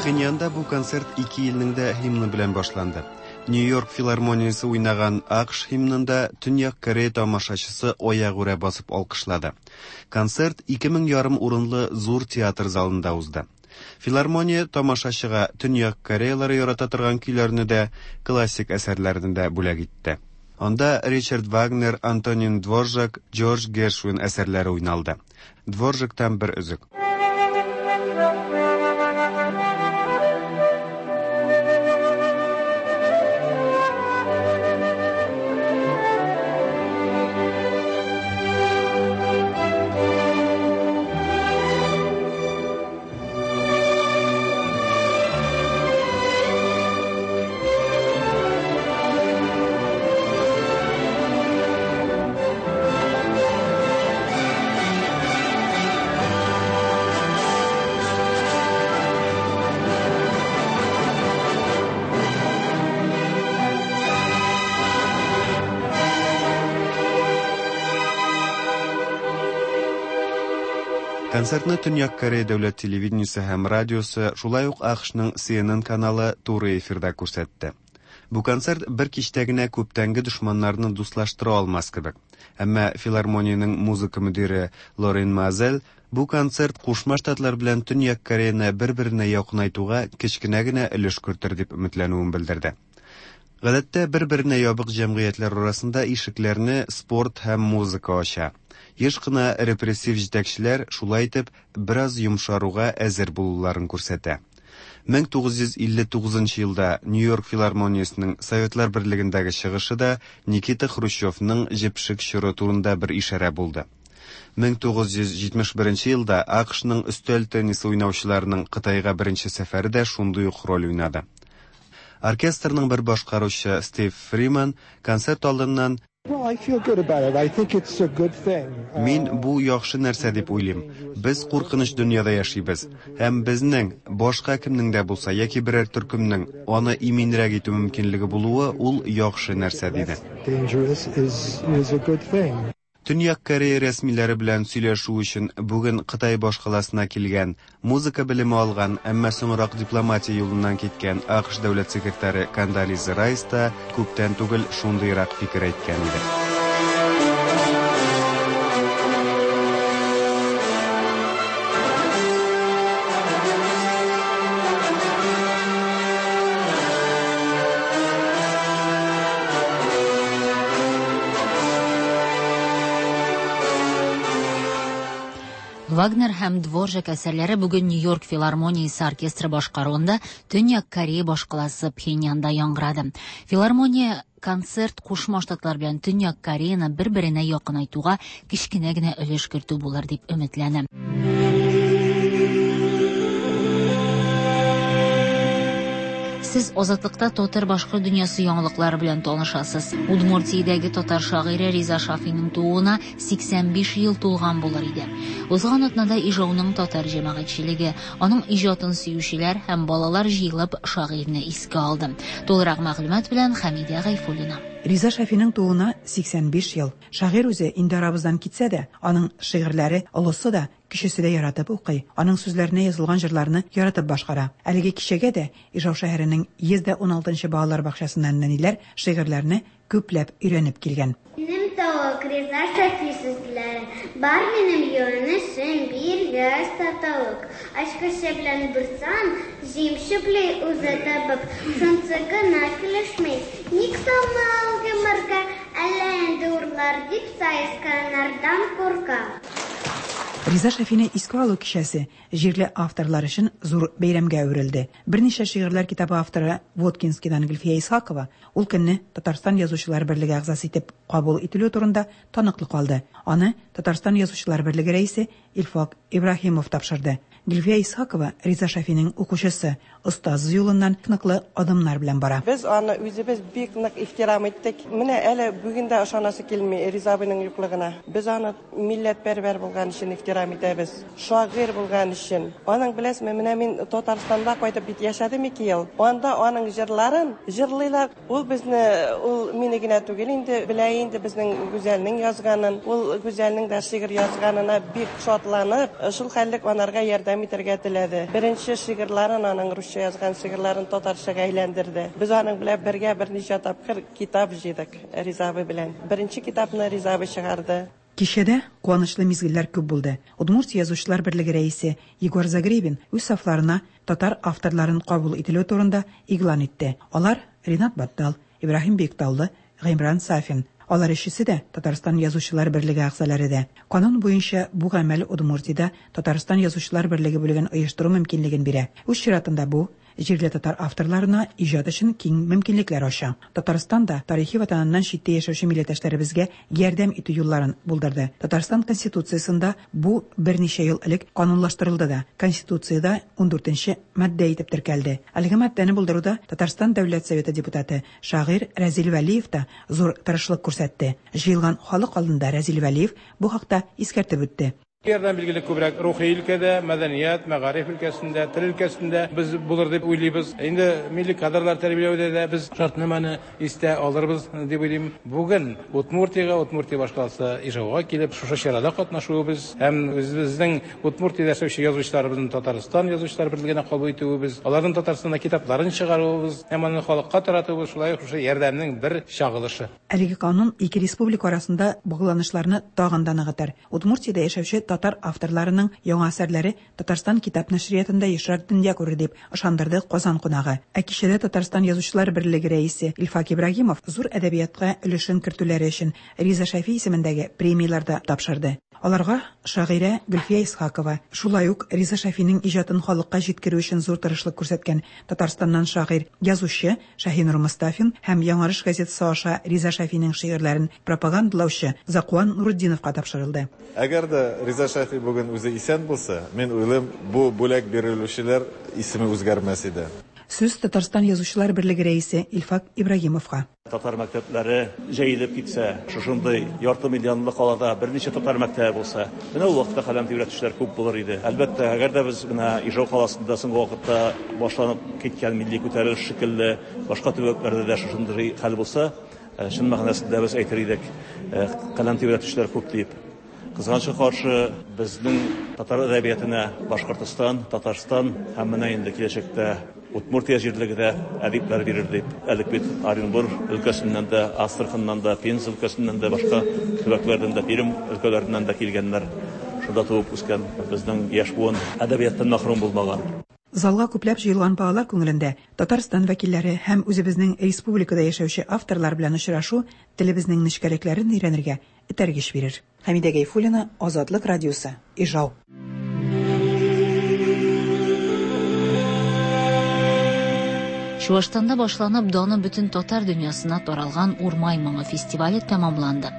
Пхеньянда бу концерт ике илнең дә һимны белән башланды. Нью-Йорк филармониясе уйнаган АКШ һимнында Төньяк Корея тамашачысы аягүрә басып алкышлады. Концерт ике мең ярым урынлы зур театр залында узды. Филармония тамашачыга Төньяк Кореялары ярата торган көйләрне дә, классик әсәрләрне дә бүләк итте. Анда Ричард Вагнер, Антонин Дворжак, Джордж Гершвин әсәрләре уйналды. Дворжактан бер өзек. Концертны Төньяк Корея дәүләт телевидениесе һәм радиосы, шулай ук АКШның CNN каналы туры эфирда күрсәтте. Бу концерт бер кичтә генә күптәнге дошманнарны дуслаштыра алмас кебек. Әмма филармониянең музыка мөдире Лорен Мазель бу концерт Кушма Штатлар белән Төньяк Кореяны бер-беренә якынайтуга кечкенә генә өлеш кертер дип өметләнүен белдерде. Гадәттә бер-беренә ябык җәмгыятьләр арасында ишекләрне спорт һәм музыка ача. Еш кына репрессив җитәкчеләр шулай итеп бераз йомшаруга әзер булуларын күрсәтә. 1959 елда Нью-Йорк филармониясенең Советлар Берлегендәге чыгышы да Никита Хрущевның җепшек чоры турында бер ишарә булды. 1971 елда АКШның өстәл теннисы уйнаучыларының Кытайга беренче сәфәре дә шундый ук роль уйнады. Оркестрның бер башкаручы Стив Фриман концерт алдыннан Мин бу яхшы нәрсә дип уйлыйм. Без куркыныч дөньяда яшибез. Һәм безнең, башка кемнең дә булса яки берәр төркемнең аны иминрәк итү мөмкинлеге булуы ул яхшы нәрсә, диде. Төньяк Корея рәсмиләре белән сөйләшү өчен бүген Кытай башкаласына килгән, музыка белеме алган, әмма соңрак дипломатия юлыннан киткән АКШ дәүләт секретаре Кондолиза Райс та күптән түгел шундыйрак фикер әйткән иде.
Вагнер һәм Дворжак әсәрләре бүген Нью-Йорк филармониясе оркестры башкаруында Төньяк Корея башкаласы Пхеньянда яңгырады. Филармония концерт Кушма Штатлар белән Төньяк Кореяны бер-беренә якынайтуга кечкенә генә өлеш кертү булыр дип өметләнә. Сез Азатлыкта татар-башкорт дөньясы яңалыклары белән танышасыз. Удмуртиядәге татар шагыйре Риза Шафиның тууына 85 ел тулган булыр иде. Узган атнада Ижауның татар җәмәгатьчелеге, аның иҗатын сөючеләр һәм балалар җыелып шагыйрьне искә алды. Тулырак мәгълүмат белән Хәмидә Гайфуллина.
Риза Шафиның тууына 85 ел. Шагыйрь үзе инде арабыздан китсә дә, аның шигырьләре олысы да, кечесе дә яратып укый, аның сүзләренә язылган җырларны яратып башкара. Әлеге кичәгә дә Ижау шәһәренең 116 нчы балалар бакчасыннан нәниләр шигырьләрне күпләп өйрәнеп килгән.
Минем тавык, Риза Шафи сүзләре. Бар минем юанычым, биргәч тә тавык. Ачкычы белән борсам, җим чүпли үзе табып. Шунсы гына килешми, ник салма ул йомырка, әллә инде урлар дип саесканнардан курка.
Риза Шафины искә алу кичәсе җирле авторлар өчен зур бәйрәмгә әверелде. Берничә шигырьләр китабы авторы Воткинскидан Гөлфия Исхакова ул көнне Татарстан Язучылар берлеге әгъзасы итеп кабул ителүе турында таныклык алды. Аны Татарстан Язучылар берлеге рәисе Илфак Ибраһимов тапшырды. Гөлфия Исхакова Риза Шафиның укучысы, остазы юлыннан ныклы адымнар белән бара.
Без аны үзебез бик нык ихтирам иттек. Менә әле бүген дә ышанасы килми Риза абыйның юклыгына. Без аны милләтпәрвәр булган өчен ихтирам итәбез, шагыйрь булган өчен. Аның, беләсезме, менә мин Татарстанда кайтып бит яшәдем ике ел. Анда аның җырларын җырлыйлар. Ул безне, ул мине генә түгел инде, белә инде безнең Гүзәлнең язганын. Ул Гүзәлнең дә шигырь язганына бик шатланып, шул хәллек анарга ярдәм итәргә теләде. Беренче шигырьләрен аның русча язган шигырьләрен татарчага әйләндерде. Без аның белән бергә берничә тапкыр китап җыйдык Риза абый белән. Беренче китапны Риза абый чыгарды.
Кичәдә куанычлы мизгелләр күп булды. Удмуртия Язучылар берлеге рәисе Егор Загребин үз сафларына татар авторларын кабул ителүе турында игълан итте. Алар, Ринат Баттал, Ибраһим Биектаулы, Гыймран Сафин. Алар өчесе дә Татарстан Язучылар берлеге әгъзалары да. Канун буенча бу гамәл Удмуртиядә Татарстан Язучылар берлеге бүлеген оештыру мөмкинлеген бирә. Үз чиратында бу, җирле татар авторларына иҗат өчен киң мөмкинлекләр ача. Татарстан да тарихи ватаныннан читтә яшәүче милләттәшләребезгә ярдәм итү юлларын булдырды. Татарстан Конституциясендә бу берничә ел элек канунлаштырылды да, Конституциядә ундүртенче маддә итеп теркәлде. Әлеге маддәне булдыруда Татарстан Дәүләт Советы депутаты, шагыйрь Рәзил Вәлиев та зур тырышлык күрсәтте. Җыелган халык алдында Рәзил Вәлиев бу хакта искәртеп үтте.
Ярдәм билгеле күбрәк рухи өлкәдә, мәдәният, мәгариф өлкәсендә, тел өлкәсендә без булыр дип уйлыйбыз. Инде милли кадрлар тәрбияләүдә дә без шартнамәне истә алырбыз дип уйлыйм. Бүген Удмуртиягә, Удмуртия башкаласы Ижауга килеп, шушы чарада катнашуыбыз һәм үзебезнең Удмуртиядә яшәүче язучыларыбызны Татарстан Язучылар берлегенә кабул итүебез, аларның Татарстанда китапларын чыгаруыбыз һәм аны халыкка таратуыбыз шулай ук шушы ярдәмнең бер чагылышы.
Әлеге канун ике республика арасында багланышларны тагын да ныгытыр. Удмуртиядә яшәүче татар авторларының яңа әсәрләре Татарстан китап нәшриятында ешрак дөнья күрер дип ышандырды Казан кунагы. Ә кичәдә Татарстан Язучылар берлеге рәисе Илфак Ибраһимов зур әдәбиятка өлешен кертүләре өчен Риза Шәфи исемендәге премияләр дә тапшырды. Аларга шагыйрә Гөлфия Исхакова, шулай ук Риза Шәфинең иҗатын халыкка җиткерү өчен зур тырышлык күрсәткән Татарстаннан шагыйрь, язучы Шаһинур Мостафин һәм Яңарыш газетасы аша Риза Шәфинең шигырьләрен пропагандалаучы Закуан Нурутдиновка тапшырылды.
Әгәр дә Риза Шәфи бүген үзе исән булса, мин уйлыйм, бу бүләк бирелүчеләр исеме үзгәрмәс иде.
Сүз Татарстан Язучылар берлеге рәисе Илфак Ибрагимовка.
Татар мәктәпләре җәелеп китсә, шушындый ярты миллионлы калада берничә татар мәктәбе булса, менә ул вакытта каләм тибрәтүчеләр күп булыр иде. Әлбәттә, әгәр дә без менә Ижау каласында соңгы вакытта башланып киткән милли күтәрелеш шикелле башка төбәкләрдә дә шушындый хәл булса, чын мәгънәсендә без әйтер идек, каләм тибрәтүчеләр күп дип. Кызганычка каршы, безнең татар әдәбиятына Башкортостан, Татарстан һәм менә инде киләчәктә Удмуртия җирлеге дә әдипләр бирер дип. Әлек бит Оренбур өлкәсеннән дә, Астраханнан да, Пенза өлкәсеннән дә, башка төбәкләрдән дә, Пермь өлкәләреннән дә килгәннәр. Шунда туып үскән безнең яшь буын әдәбияттан мәхрүм булмаган.
Залга күпләп җыелган балалар күңелендә Татарстан вәкилләре һәм үзебезнең республикада яшәүче авторлар белән очрашу телебезнең нечкәлекләрен өйрәнергә этәргеч бирер. Хәмидә Гайфуллина, Азатлык радиосы, Ижау.
Чуашстанда башланып, даны бөтен татар дөньясына таралган Урмай моңы фестивале тәмамланды.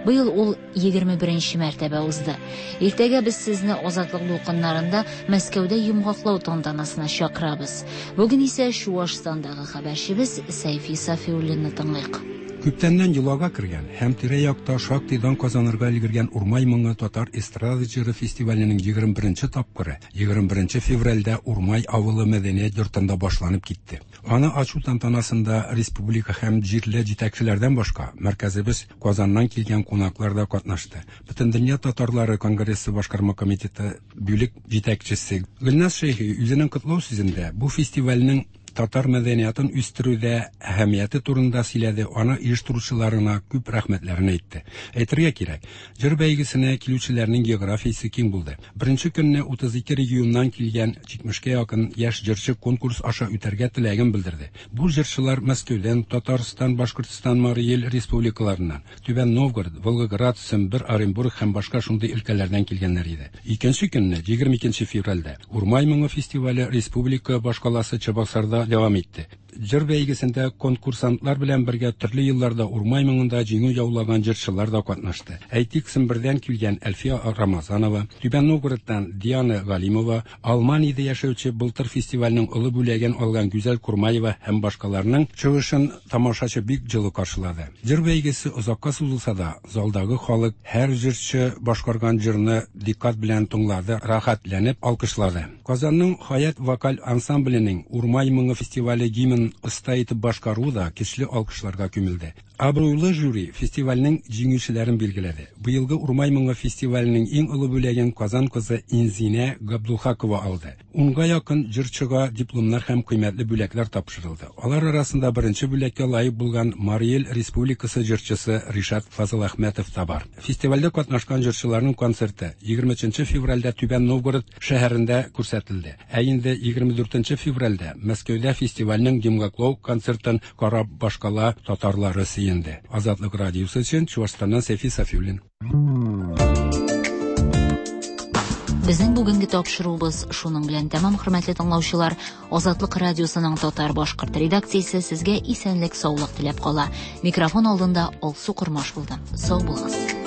Быел ул 21 мәртәбә узды. Иртәгә без сезне Азатлык дулкыннарында Мәскәүдә йомгаклау тантанасына чакырабыз. Бүген исә Чуашстандагы хәбәрчебез Сәйфи Сафиуллинны тыңлыйк.
Күптәннән йолага кергән һәм тирә-якта шактый дан казанырга өлгергән Урмай моңы татар эстрада җыры фестиваленең 21 нче тапкыры 21 февральдә Урмай авылы мәдәният йортында башланып китте. Аны ачу тантанасында республика һәм җирле җитәкчеләрдән башка, мәркәзебез Казаннан килгән кунаклар да катнашты. Бөтендөнья татарлары конгрессы башкарма комитеты бүлек җитәкчесе Гөлназ Шәйхи үзенең котлау сүзендә бу фестивальнең татар мәдәниятын үстерүдә әһәмияте турында сөйләде, аны оештыручыларына күп рәхмәтләрен әйтте. Әйтергә кирәк, җыр бәйгесенә килүчеләрнең географиясе киң булды. Беренче көнне 32 регионнан килгән 70-кә якын яшь җырчы конкурс аша үтәргә теләген белдерде. Бу җырчылар Мәскәүдән, Татарстан, Башкортстан, Марий Эл республикаларыннан, Түбән Новгород, Волгоград, Сембер, Оренбург һәм башка шундый өлкәләрдән килгәннәр иде. Икенче көнне, 22 февральдә, Урмай моңы фестивале республика башкаласы Чабаксарда дәвам итте. Җыр бәйгесендә конкурсантлар белән бергә төрле елларда Урмай моңында җиңү яулаган җырчылар да катнашты. Әйтик, Сембердән килгән Әлфия Рамазанова, Түбән Новгородтан Диана Галимова, Алманиядә яшәүче былтыр фестивальнең олы бүләген алган Гүзәл Курмаева һәм башкаларның чыгышын тамашачы бик җылы каршылады. Җыр бәйгесе озакка сузылса да, залдагы халык һәр җырчы башкарган җырны дикъкать белән тыңлады, рәхәтләнеп алкышлады. Казанның Хаят вокаль ансамбленең Урмай моңы фестивале гимнын оста итеп башкаруы да көчле алкышларга күмелде. Абруйлы жюри фестивальнең җиңүчеләрен билгеләде. Быелгы Урмай моңы фестиваленең иң олы бүләген Казан кызы Инзинә Габдулхакова алды. Унга якын җырчыга дипломнар һәм кыйммәтле бүләкләр тапшырылды. Алар арасында беренче бүләккә лаек булган Марий Эл Республикасы җырчысы Ришат Фазыләхмәтов та бар. Фестивальдә катнашкан җырчыларның концерты 23 нче февральдә Түбән Новгород шәһәрендә күрсәтелде. Ә инде 24 нче февральдә Мәскәүдә фестивальнең йомгаклау концертын карап башкала татарлары сөенде. Азатлык радиосы өчен Чуашстаннан Сәйфи Сафиуллин.
Безнең бүгенге тапшыруыбыз шуның белән тәмам, хөрмәтле тыңлаучылар. Азатлык радиосының татар-башкорт редакциясе сезгә исәнлек-саулык теләп кала. Микрофон алдында Алсу Кормаш булды. Сау булыгыз.